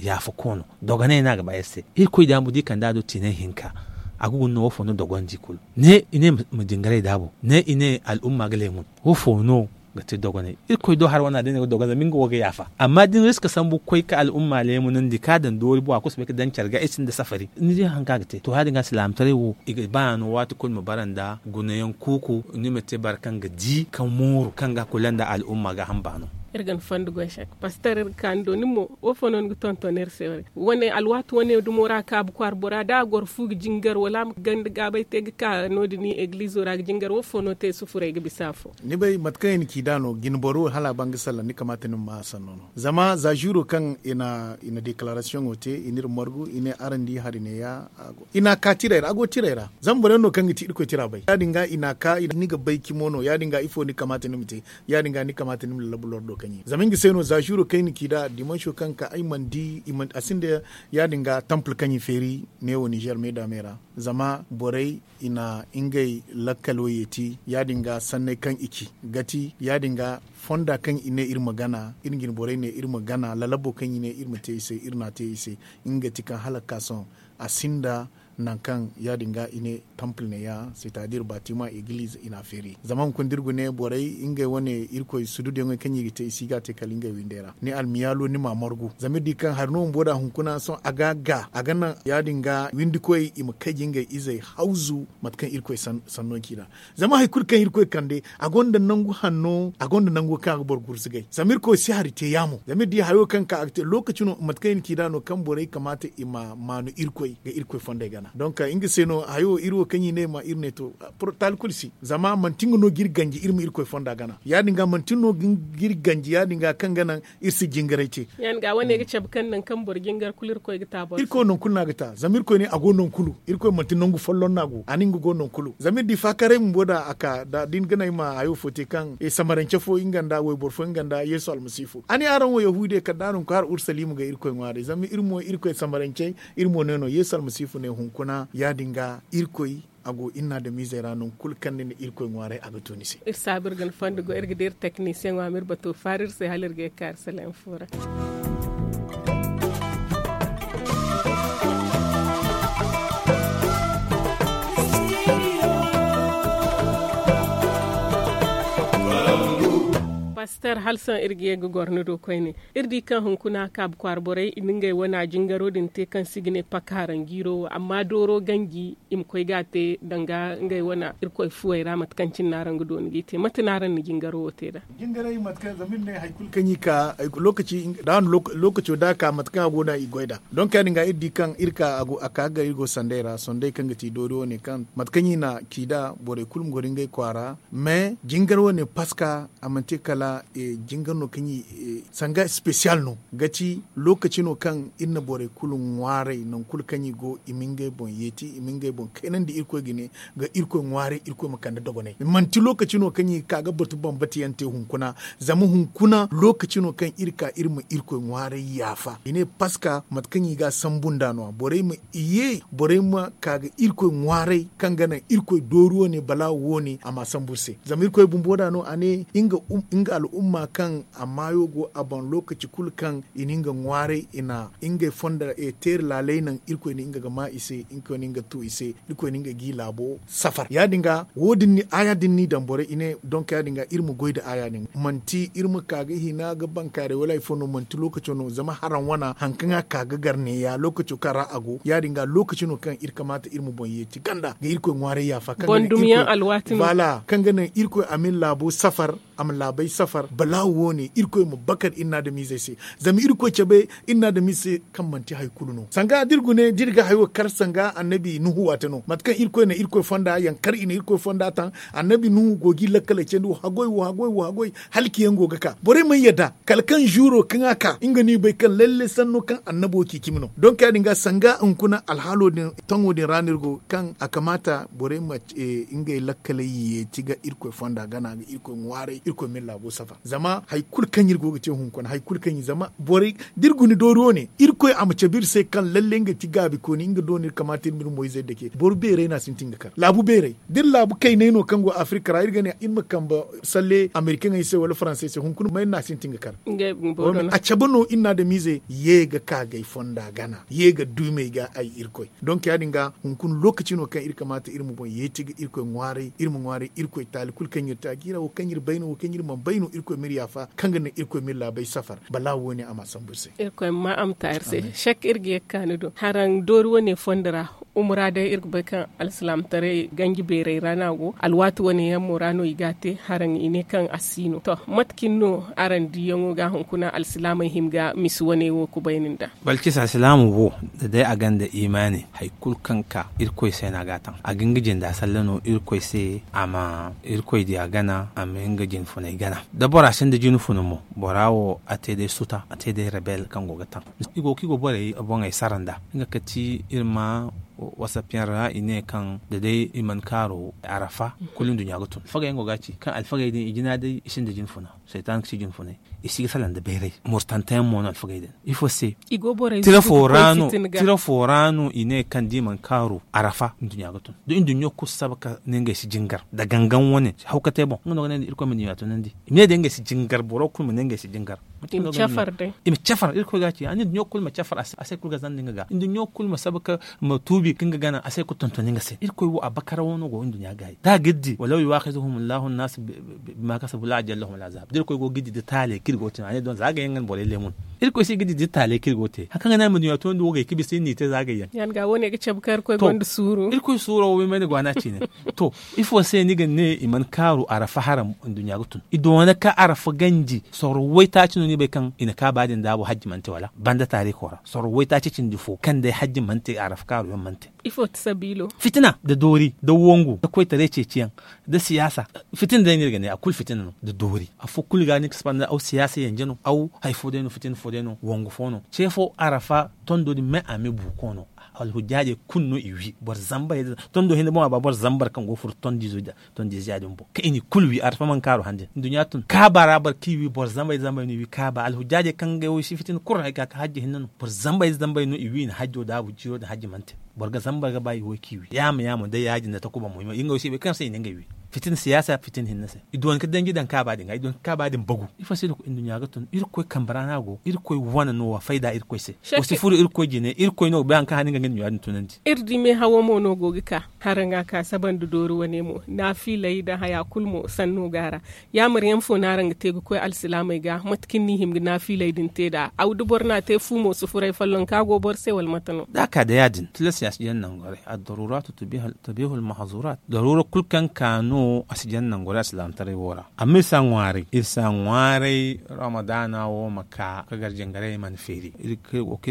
yaafa koono. Dogonay no a ga ba iri se irkoy da mo da i kande a do tiinay hinka. A ga guna no wo fo no dogonandi kulu ne i ne ma jingaray da a boŋ ne i ne al'umma ga leemun. Wo fo no ga te dogonay irkoy do hari wane a day no ga dogonandi zama nga wo ga yaafa amma da ni riska sambu ga koy ga al'umma leemunandi ka daŋ doori bora kulu si bay ga daŋ care ga ay sinda safari ni di hari kaŋ a ga te to ya- din ga alsilaamataray wo i ga ba no waati kulu ma bara nda gunayaŋ kuuku. Ni ma te boro kaŋ ga di ka mooru kaŋ ga kula nda al'umma gaaham baano. Iri ga ni fondo goy sek paster iri ga ka ni do ni mo wo fo no ni ga tonton iri se? Wane alwaati wane dumo ra kaabu kwaara bora da a goro fu ga jingar wala a ma ganda gaabay te ga ka no- din i egilizo ra ga jingar wo fo no te sufuray ga bisa afo? Ni bay mate kaŋ i na ci da no jine boro wo hala a ban ga salla ni kamaata ni ma ma a sanno no. Zama za zuro kaŋ i na dekarasiyoŋo te i n'iri margu i ne araŋ di hari ne ya. I n'a ka tiray ra a go tiray ra. Zama boro yaŋ no kaŋ ga ti irkoy tira bay ya- din ga i n'a ka ni ga bay cimo no ya- din ga ifo ni kamaata ni ma te? Ya- din ga ni kamaata ni ma lallabu lordo kaŋ i zama nga se no za zuro kaŋ i na ci nd'a dimanso kaŋ ka ay mana di a sinda. Ya- din ga tampul kaŋ i feeri neewo nizer meeda me ra zama borey i na ngey lakkalo yeeti ya- din ga sanney kaŋ i ci ga ti ya- din ga fonda kaŋ i ne iri ma gana iri jine borey ne iri ma gana lalabo kaŋ i ne iri ma te i se iri n'a te i se. Nga ga ti kaŋ hala ga ka sohõ a sinda nangu kaŋ ya- din ga i ne tampul ne ya c'est à dire batima egiliz i n'a feeri zama hunkuna da iri ga ne borey ngey wane irkoy sududuyaŋey kaŋ i ga te i si ga a te kala ngey windey ra ni almiyaalo ni m'a margu zama iri di kaŋ hari no bumbo da hunkuna sohõ a ga a ga a ga naŋ ya- din ga windikoy i ma kay ga ngey izey hawzu mate kaŋ irkoy sanno ci nd'a. Zama hari kulu kaŋ irkoy kande a gonda nangu hanno a gonda nango kaŋ a ga boro gurzugay zama irkoy si hari te yaamo zama iri di hayo kaŋ ka a ga te lookaci no mate kaŋ i na ci nd'a no kaŋ borey kamaata i ma maanu irkoy ga irkoy fondey gana donk nga se no hayo iri wo kaŋ i ne ma iri ne to. Taali kulu si zama manti nga no ga iri ganji iri ma irkoy fonda gana ya- din ga manti no ga iri ganji ya- din ga kaŋ ga naŋ iri si jingaray te. Ya- din ga wane ga cabe kaŋ nangu kaŋ boro jingar kulu irkoy ga ta boro se. Irkoy nangu kulu no a ga ta zama irkoy ne a go nangu kulu irkoy manti nangu folloŋ no a go a ne nga go nangu kulu zama iri di faakaray bumbo da a ka da ni ga naŋ ay ma hayo fo te kaŋ samarance fo nga nda wayboro fo nga nda yeesu almasihu a ne araŋ wo yahuudey kala da araŋ ga koy hala urusalima ga irkoy ŋwaaray zama iri mo irkoy samarancey. Iri mo ne no yeesu almasihu ne hunkuna ya- din ga irkoy a go iri na adamizey ra nangu kulu kaŋ ni na irkoy ŋwaaray a ga to ni se. Iri saabu iri ga ni fondo go iri ga di iri teknisiyeŋo a ma iri bato faari iri se hala iri ga ye ga ka iri saleŋ fo ra. Paster hala sohõ iri ga ye ga goro ni do koyne. Iri di kaŋ hunkuna kaabu kwaara borey i na ngey wane jingaro din te kaŋ se i ga ne paka haranjiiro wo amma dooro ganji i ma koy ga a te danga ngey wane irkoy fuwey ra mate kaŋ cine no araŋ ga dooni g'i te mate no araŋ na jingaro wo te nd'a? Jingaray mate kaŋ zama iri ne hari kulu kaŋ i ka lookaco da a ka mate kaŋ a go no i goy nd'a donk ya- din ga iri di kaŋ iri ka a ka ga iri go sanday ra sanday kaŋ ga ti doori wane kaŋ mate kaŋ i na ci nd'a borey kulu ma goro ngey kwaara. Mais jingar wane paska a manti kala jingar no kaŋ i sanga spesiyal no ga ti lookaci no kaŋ iri na borey kulu ŋwaaray nangu kulu kaŋ i go i ma ngey boŋ yeeti i ma ngey boŋ kaynandi irkoy ga ne ga irkoy ŋwaaray irkoy ma kande dogonay manti lookaci no kaŋ i ga ka ga batu bambata yaŋ te hunkuna. Zama hunkuna lookaci no kaŋ iri ka iri ma irkoy ŋwaaray yaafa i ne paska mate kaŋ i ga a sambu nd'a no- ya borey ma i ye borey ma ka ga irkoy ŋwaaray kaŋ ga naŋ irkoy doori wane balaawo wane a m'a sambu iri se zama irkoy bumbo nd'a no a ne nga al'umma kaŋ a maayo go a boŋ lookaci kulu kaŋ i na nga ŋwaaray i na ngey fonda teeri laaley naŋ irkoy na nga ga maa i se irkoy na nga tu i se irkoy na nga g'i laabo safar ya- din ga wo- din ni aaya din n'i daŋ borey i ne donk ya- din ga iri ma goy nda aaya din manti iri ma ka ga hina ga bankaaray wala hari fo no manti lookaco no zama haraŋ wana hari kaŋ a ka ga gar neeya lookaco kaŋ ra a go ya- din ga lookaci no kaŋ iri kamaata iri ma boŋ yeeti ganda ga irkoy ŋwaaray yaafa kaŋ ga naŋ irkoy a ma iri laabo safar a ma laabey safar balaawo wo- ne irkoy ma bakar iri na adamiizey se. Zama irkoy cabe iri na adamiizey se kaŋ manti hari kulu no sanga da iri gune da iri ga hayo kar sanga annabi nuhu waate no mate kaŋ irkoy na irkoy fonda yaŋ kar i na irkoy fonda taŋ. Annabi nuhu go ga iri lakkaley candi wa hagoy wa hagoy wa hagoy halki yaŋ go ga ka borey mana yadda kala kaŋ zuuro kaŋ a ka nga no i bay kaŋ lalle sanno kaŋ annabo ci cimi no donk ya- din ga sanga hunkuna alhaalo din taŋo din ra no iri go kaŋ a kamaata borey ma ngey lakkaley yeeti ga irkoy fonda gana ga irkoy ŋwaaray irkoy ma iri laabo safa zama hari kulu kaŋ iri go ga te hunkuna hari kulu kaŋ iri zama borey da iri guna doori wo- ne irkoy a ma cabe iri se kaŋ lalle nga ti gaabikooni nga do no iri kamaata iri ma iri moyzey dake boro beerey no a sintin ga kar laabu beerey da iri laabu kayney no kaŋ go afirka ra iri ga ne iri ma kambe salle amerikaŋey se wala faransey se hunkuna may no a sintin ga kar a cabe no iri na adamiizey ye ga ka ga ay fonda gana ye ga duumey ga ay irkoy donk ya- din ga hunkuna lookaci no kaŋ iri kamaata iri ma boŋ yeeti ga irkoy ŋwaaray iri ma ŋwaaray irkoy taali kulu kaŋ iri te a ga iri a wo kaŋ iri bay no wo kaŋ iri mana bay no irkoy ma iri yaafa kaŋ ga naŋ irkoy ma iri laabey safar balaawo wo- ne a ma a sambu iri se. Irkoy ma a ma ta iri se. Sek iri ga ye ga ka ni do haraŋ doori wo- ne fondo ra Umura day iri ga bay kaŋ alsilaamataray ganji beeray ra no a go. Alwaati wane yaŋ mo ra no i ga a te haraŋ i ne kaŋ a si no. To, mate cine no araŋ diyaŋo ga hunkuna alsilaamey hima ga misi wane wo kubayni nda? Balkis alsilaamu wo, da day a gonda imaani, hari kulu kaŋ ka irkoy se no a ga a taŋ. A ga nga jinda salla no irkoy se. A ma irkoy diya gana, a ma nga jinfunay gana. Da bora sinda jinfuna mo, bora wo a te day suta, a te day rebel kaŋ go ga taŋ. I go kaŋ i go borey boŋey sara nda nga kati iri ma wasapiyaŋ ra i ne kaŋ da day i mana kaaru arafa, kulu nduɲɲa ga tun alfagey yaŋ go ga a ci kaŋ alfagey din i jina day i sinda jinfuna. Saytan ga ci jinfunay. I si ga salaŋ nda bayray murtanteyaŋ mo no alfagey din. Ifo se? Tira fo ra no i ne kaŋ da i mana kaaru arafa nduɲɲa ga tun da nduɲɲo kulu saba ka ne ngey si jingar da gangan wane hawkatey boŋ nga no ga ne nda irkoy ma nduɲɲa tunandi. I ma ne day ngey si jingar boro kulu ma ne ngey si jingar. I ma cafar day. I ma cafar irkoy ga a ci a ne nduɲɲo kulu ma cafar a se kulu ga zanda nga ga nduɲɲo kulu ma saba ka ma tuubi ka nga gana a se kulu tontoni nga se irkoy wo a bakara wano go nduɲɲa gaayi da a ga iri di walaw yuwakizuhum allahu annasu bima kasabu la ajjal lahum alazab da irkoy go ga iri di da taaley kaŋ iri go ga te no a ne don za a ga yaŋ ga na borey leemun. Irkoy se ga di da taaley kaŋ iri go ga te hari kaŋ ga naŋ ma nduɲɲa tunandi wo gay ka bisa iri n'i te za a ga yaŋ. Yaŋ ga wo ne ga cabe kaŋ irkoy gonda suuru. Irkoy suuro wo may mana gwaana cine. To, ifo se ni ga ne i mana kaaru arafa haram nduɲɲa ga tun i doona ka arafa ganji sorro waytaaci no ni bay kaŋ i na kaaba din daabu hajji mana te wala banda taariiko ra sorro waytaaci cindi fo kaŋ day hajji mana te arafa kaaru yaŋ mana te. Ifo ti sabiilo? Fitina nda doori nda wangu nda koytaray ceeciyaŋ nda siyaasa. Fitina day no iri ga ne a kulu fitina no nda doori afo kulu ga ni ga si banda aw siyaasa yanje no aw hari fo day no fitina fo day no wangu fo no ce fo arafa tondo din me a me buuko no. Alhujjaajey kulu no i wi boro zambarey da tondo hinne boŋ a ba boro zambar kaŋ go ga furo tondiizo din boŋ kaŋ i n'i kulu wi arafa mana kaaru hande nduɲɲa tun kaaba ra boro kaŋ i wi boro zambarey da zambarey no i wi kaaba alhujjaajey kaŋ ngey wo i si fitina kulu ra i ga ka hajji hinne no boro zambarey da zambarey no i wi i na hajjo daabu ciiro din hajji mana te. Boro ga zambar ga ba i wo kaŋ i wi yaama yaamo day ya- din nda takuba mo i ma i ngey wo si bay kaŋ se i na ngey wi. Fitina siyaasa fitina hinne se i doona ka danji daŋ kaaba din ga i doona ka kaaba din bagu ifo se no nduɲɲa ga tun irkoy kambe ra no a go irkoy wane no wa fayda irkoy se. Wa si furo irkoy jine irkoy no ga bay hari kaŋ hane nga ga nduɲɲa din tunandi. Iri di meehawo mo no go ga ka haraŋ a ka saba nda doori wane mo naafiiley nda haya kulu mo sanno go a ra. Yaamar yaŋ fo no araŋ ga te ga koy alsilaamey ga mate kaŋ ni hima ga naafiiley din te nd'a aw da boro n'a te fu mo si furay follonka go boro se wala mate no? Da a ka day ya- din tilas ya si jaŋ nangu haray addaruuraatu tabiihul mahzuuraat daruura kulu kaŋ ka no a si jaŋ nangu haray alsilaamataray wo ra. Amma iri si a ŋwaaray iri si a ŋwaaray ramadaana wo ma ka ka gar jingarey mana feeri. Iri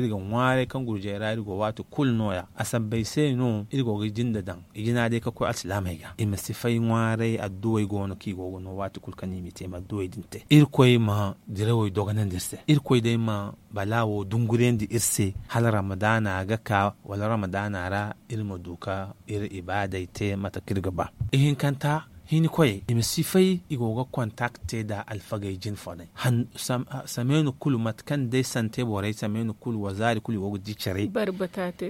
ga ŋwaaray kaŋ gurjey ra iri go waati kulu no- ya a sabbay se no iri go ga jinda daŋ i jina day ka koy alsilaamey ga i ma si fay ŋwaaray adduwey go no kaŋ i go ga no waati kulu kaŋ i m'i te i ma adduwey din te irkoy ma dirawey dogonandi iri se irkoy day ma balaawo dungurandi iri se hala ramadaana ga ka wala ramadaana ra iri ma du ka iri ibaadey te mate kaŋ iri ga ba. Ihinkanta hinkoyey i ma si fay i go ga kontakte nda alfagey jinfoney sameenu kulu mate kaŋ day sante borey sameenu kulu wazaari kulu i go ga di care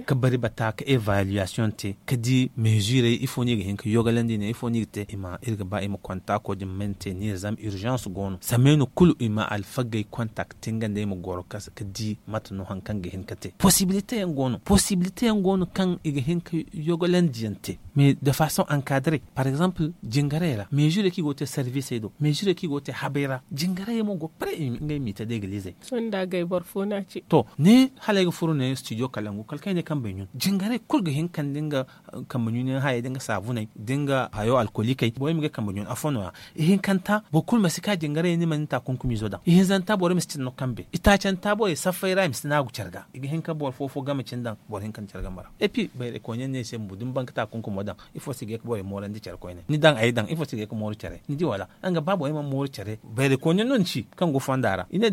ka bari bata ka evaluation te ka di meezirey ifo no i ga hin ka yogalandi ne ifo no i ga te i ma iri ga ba i ma kontako din mayna te niir zama urgence go no sameenu kulu i ma alfagey kontakte nga nda i ma goro ka di mate no hari kaŋ ga hin ka te posibilite yaŋ go no posibilite yaŋ go no kaŋ i ga hin ka yogalandi yaŋ te mais de façon encadrée par exemple jingarey ra meezirey kaŋ i go ga te serviisey do meezirey kaŋ i go ga te habey ra jingarey mo go pare ngey m'i te da egalizey. Sohõ da agay boro fo no a ci to ne hala ay ga furo ne studio kalangu kala kaŋ ay ne kambe ɲun jingarey kulu ga hin ka nda nga kambe ɲun yaŋ hayey da nga saabuney da nga hayo alkolikey borey ma ga ay kambe ɲun afo no- ya. Ihinkanta boro kulu ma si ka jingarey ni ma ni taakunkumiizo daŋ ihinzanta borey ma si cine no kambe itaacanta borey saffey ra i ma si naagu care ga i ga hin ka boro fo fo game cine daŋ boro hinka nda care game ra. Et puis bayray koyne yaŋ no ay se bumbo da ni ban ga taakunkumo daŋ ifo se ga ye ga borey moorandi care koyne ni daŋ ay daŋ ifo se ga ye ga mooru care ni di wala? Nga ba borey mana mooru care bayray koyne yaŋ no ni ci kaŋ go fonda ra i ne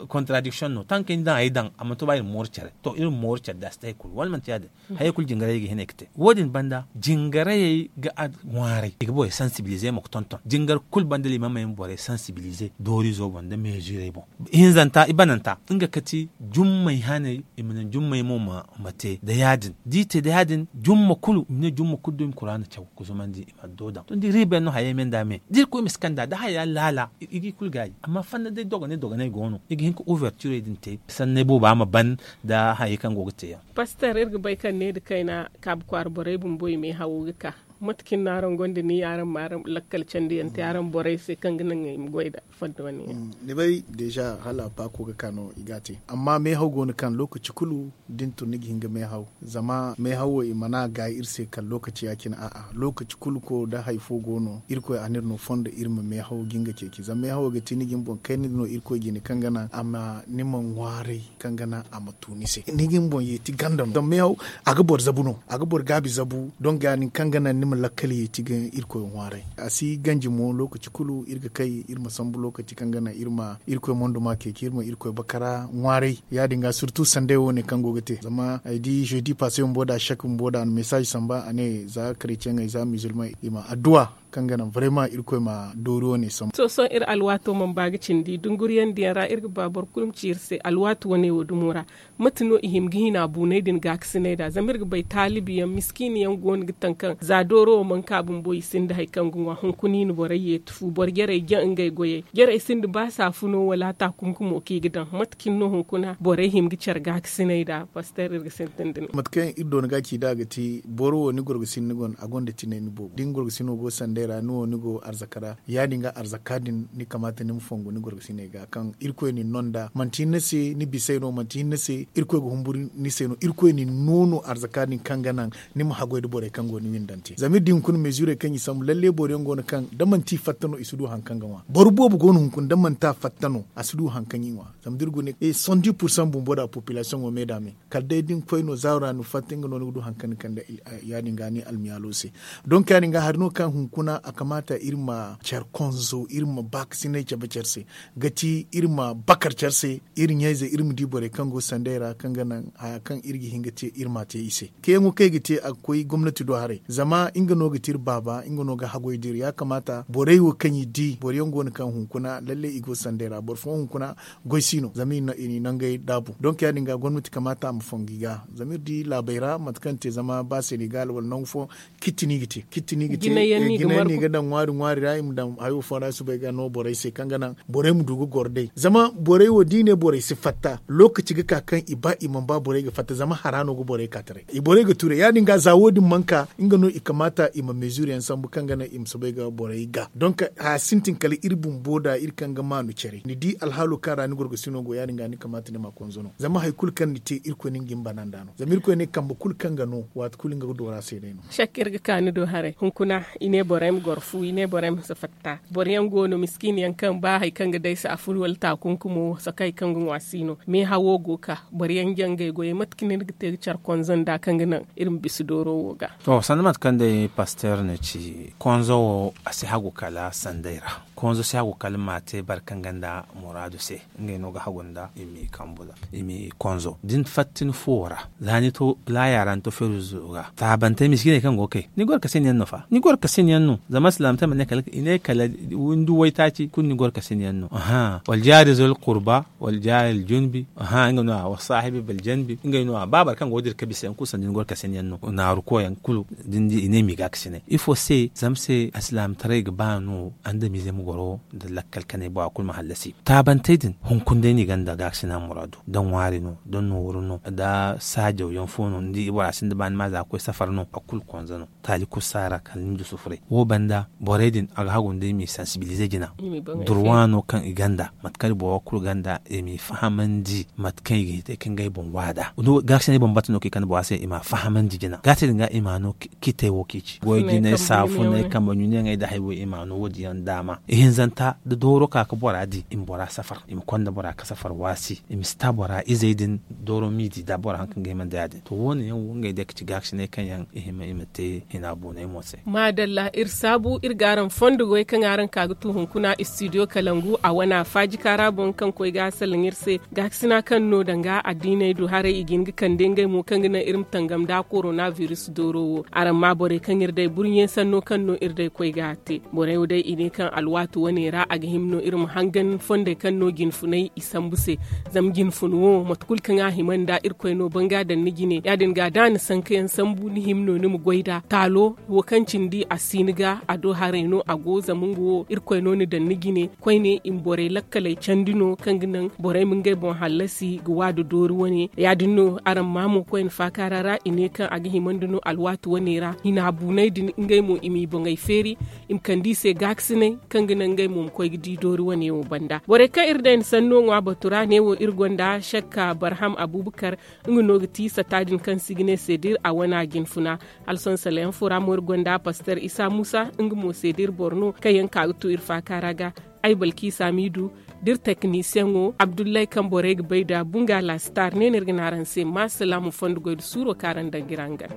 contradiction no tankey ni daŋ ay daŋ a mana to ba iri ma mooru care to iri ma mooru care da a si te hari kulu wala manti ya- din. Hayey kulu jingarayey ga hin ay ga te wo- din banda jingarayey ga a ŋwaaray i ga borey sensibilize mo ga tonton jingar kulu banda limaamey ma borey sensibilize doorizo boŋ nda meezirey boŋ. Ihinzanta i bananta nga kati jummay haney i ma naŋ jummay mo ma te nda ya- din da i te nda ya- din jumma kulu i ma ne jumma kulu da i ma kuraana caw ga zumandi i ma adduwa daŋ to ni di riiba yaŋ no hayey me nda me da irkoy ma si kand'a da haya laala i g'i kulu gaayi amma fanna day dogonay dogonay go no i ga hin ka ouverturey din te sanney booba ma ban nda hayey kaŋ go ga te yaŋ. Paster iri ga bay kaŋ ne nda kayna kaabu kwaara borey bumbo i meehawo ga ka Mate kaŋ no araŋ gonda ni araŋ ma araŋ lakkal candiyaŋ te araŋ borey se kaŋ ga naŋ i ma goy nda fondo wane yaŋ? Ni bay deeza hala paako ga ka no i ga a te. Amma meehaw go no kaŋ lokaci kulu da ni tun ni ga hin ga meehaw. Zama meehaw wo i mana gaayi iri se kala lokaci ya- cine a'a, lokaci kulu ko da hari fo go no irkoy a no iri no fondo iri ma meehaw ga nga ceeci zama meehawo ga ti ni ga ni boŋ kayna no irkoy jine kaŋ ga naŋ a ma ni ma ŋwaaray kaŋ ga naŋ a ma tu ni se ni ga ni boŋ yeeti ganda no zama meehaw a ga boro zabu no, a ga boro gaabi zabu. Donk ya- din kaŋ ga naŋ ni ma lakkal yeeti ga irkoy ŋwaaray. A si ganji mo lokaci kulu iri ga kay iri ma sambu lokaci kaŋ ga naŋ iri ma irkoy monduma ceeci iri ma irkoy bakara ŋwaaray. Ya- din ga surtu sanday wo- ne kaŋ go ga te zama ay di jeudi passe bumbo da shak bumbo da a na message samba a ne za karetiyaŋey za musulman i ma adduwa kaŋ ga naŋ vraiment irkoy ma doori wo- ne sambu. To sohõ iri alwaato mana ba ga cindi dunguriyandiyaŋ ra iri ga ba boro kulu ma ci iri se alwaati wane wo dumo ra. Mate no i hima ga hina buunay din gaakasinay nd'a zama iri ga bay taalibi yaŋ miskiini yaŋ go no ga taŋ kaŋ za dooro wo mana ka bumbo i sinda hari kaŋ ga ŋwa hunkuna i na borey yeeti fu boro jarey jaŋ ngey goyey jarey sinda ba saafuno wala taakunkumo kaŋ i ga daŋ mate cine no hunkuna borey hima ga care gaakasinay nd'a paster iri ga sintin da ni. Mate kaŋ iri doona ga ci nd'a ga ti boro wo ni gorgasino ni gonda a gonda tinay ni boobo da ni gorgasino go sanday ra ni wo ni go arzaka ra ya- din ga arzaka din ni kamaata ni ma fongu ni gorgasiney ga kaŋ irkoy na ni no nd'a manti hinne se ni bisey no manti hinne se irkoy ga humburu ni se no irkoy na ni no no arzaka din kaŋ ga naŋ ni ma haggoy nda borey kaŋ go ni windante zama iri di hunkuna meezurey kaŋ i sambu lalle boro yaŋ go no kaŋ da manti i fatta no i si du hari kaŋ ga ŋwa boro boobo go no hunkuna da manti a fatta no a si du hari kaŋ i ŋwa. Zama da iri guna e soixante dix pour cent bumbo da population wo me da me kala day da ni koy no zaaro ra ni fatta nga no ni ga du hari kaŋ ni kande ya- din ga ni almiyaalo se. Donk ya- din ga hari no kaŋ hunkuna a kamaata iri ma care konzo iri ma baakasinay cabe care se ga ti iri ma bakar care se iri ɲayze iri ma di borey kaŋ go sanday ra kaŋ ga naŋ haya kaŋ iri ga hin ga te iri m'a te i se. Kayaŋo kaŋ i ga te a ga koy gomnati do haray zama nga no ga ti iri baaba nga no ga haggoy da iri ya kamaata borey wo kaŋ i di boro yaŋ go no kaŋ hunkuna lalle i go sanday ra boro fooyaŋ hunkuna goy si no zama i n'i nangey daabu donk ya- din ga gomnati kamaata a ma fongu i ga zama iri di laabey ra mate kaŋ te zama ba senegal wala nangu fooyaŋ kitti no i ga te kitti no i ga te jinay yaŋ no i ga daŋ ŋwaari ŋwaari ra i ma daŋ hayo fooyaŋ ra i soobay ga no borey se kaŋ ga naŋ borey ma du ga goro day zama borey wo da i ne borey si fatta lookaci ga ka kaŋ i ba i mana ba borey ga fatta zama hara no ga borey ka taray i borey ga tuuray ya- din ga za wo- din mana ka nga no i kamaata i ma meezur yaŋ sambu kaŋ ga naŋ i ma soobay ga borey ga donk haya sintin kala iri bumbo da iri kaŋ ga maanu care ni di alhaalo kaŋ ra ni gorgasino go ya- din ga ni kamaata ni ma konzo no zama hari kulu kaŋ ni te irkoy no ni ga ni bana nd'a no zama irkoy ne kambe kulu kaŋ ga no waati kulu nga ga doora se day no. Shakka iri ga ka ni do haray hunkuna i ne borey ma goro fu i ne borey ma si fatta boro yaŋ go no miskiini yaŋ kaŋ ba hari kaŋ ga day saafun wala taakunkumo wo saka hari kaŋ ga ŋwa si no meehawo go ga ka boro yaŋ jaŋ ngey goyey mate kaŋ iri ga te ga care konzo nd'a kaŋ ga naŋ iri ma bisa dooro wo ga. To sanda mate kaŋ day paster na ci konzo wo a si hagu kala sanday ra konzo si hagu kala ma te boro kaŋ gonda muraadu se ngey no ga hagu nda i m'i kambu nda i m'i konzo da ni fatta ni fuwo ra za ni to laaya ra ni to feeru zo ga taabantey miskiiney kaŋ go ga kay ni goro kasiniyaŋ no fa ni goro kasiniyaŋ no zama silaamataray ma ne kala i ne kala windi waytaaci kulu ni goro kasiniyaŋ no aha wala jaari zol kurba wala jaari aljunubi aha nga no a wala saahibi baljanubi ngey no a ba boro kaŋ go ga dira ka bisa yaŋ kulu sanda ni goro kasiniyaŋ no naaru koyaŋ kulu da ni di i ne m'i ga kasinay ifo se zama se alsilaamataray ga ba no andamiizey ma goro nda lakkal kanay bora kulu ma hallasi taabantey din hunkuna day no i gonda gaakasina muraadu da ŋwaari no da nooru no da saajaw yaŋ fo no ni di bora sinda ba ni ma za ga koy safar no a kulu konza no taali kulu si a ra kala ni ma du sufuray wo banda borey din a ga hagu nda i m'i sansibilize jina durwa no kaŋ i gonda mate kaŋ boro kulu gonda i m'i fahamandi mate kaŋ i ga hin te ka ngey boŋ waada gaakasinay bambata no kaŋ i kande bora se i m'a fahamandi jina gaate din ga i m'a no ciitey wo kaŋ i ci goy jinay saafuney kambe ɲunayaŋey nda hari wo i m'a no wo- din yaŋ daama ihinzanta da dooro ka ga bora di i ma bora safar i ma konda bora ga safar waasi i ma si ta bora izey din dooro m'i di da bora haŋ kaŋ ga hima nda ya- din to wo- ne yaŋ wo ngey day ga ci gaakasinay kaŋ yaŋ i hima i ma te hina boonay mo se. Maadalla iri saabu iri ga araŋ fondo goy kaŋ araŋ ka ga tu hunkuna istidiyo kalangu a wana faajika ra boŋ kaŋ koy ga a salaŋ iri se gaakasina kaŋ no danga addiiney du haray i ga hin ga kande ngey mo kaŋ ga naŋ iri ma tangam nda korona biris dooro wo araŋ ma borey kaŋ iri day burɲey sanno kaŋ no iri day koy ga a te borey wo day i ne kaŋ alwaati wane ra a ga hima no iri ma hangan fondey kaŋ no jinfunay i sambu se zama jinfun wo mate kulu kaŋ a hima nda irkoy no banga daŋ ni jine ya- din ga da a na sankayaŋ sambu ni hima no ni ma goy nd'a taalo wo kaŋ cindi a si ni ga A do haray no a go zama nga wo irkoy no ni daŋ ni jine koyne i ma borey lakkaley candi no kaŋ ga naŋ borey ma ngey boŋ hallasi ga waadu doori wane. Ya- din no araŋ ma mo koyne faakaara ra i ne kaŋ a ga himandi no alwaati wane ra hina buunay din ngey mo i m'i boŋey feeri, i ma kande i se gaakasinay kaŋ ga naŋ ngey mo ma koy ga di doori wane wo banda. Borey kaŋ iri day ni sanno ŋwa batu ra ne wo iri gonda shakka barham abubakar, nga no ga ti sata din kaŋ se i ga ne seedir a wane a jinfuna. Hala sohõ sala yaŋ fo ra mo iri gonda paster isa muusa nga mo seedir boro no kaŋ yaŋ ka ga to iri faakaara ga. Ay balki samidu da iri teknisiyaŋo abdullahi kaŋ borey ga bay da bunga laasitar ne no iri ga ne araŋ se ma salaamu fondo goy nda suuro kaŋ araŋ daŋ ga iri hangan.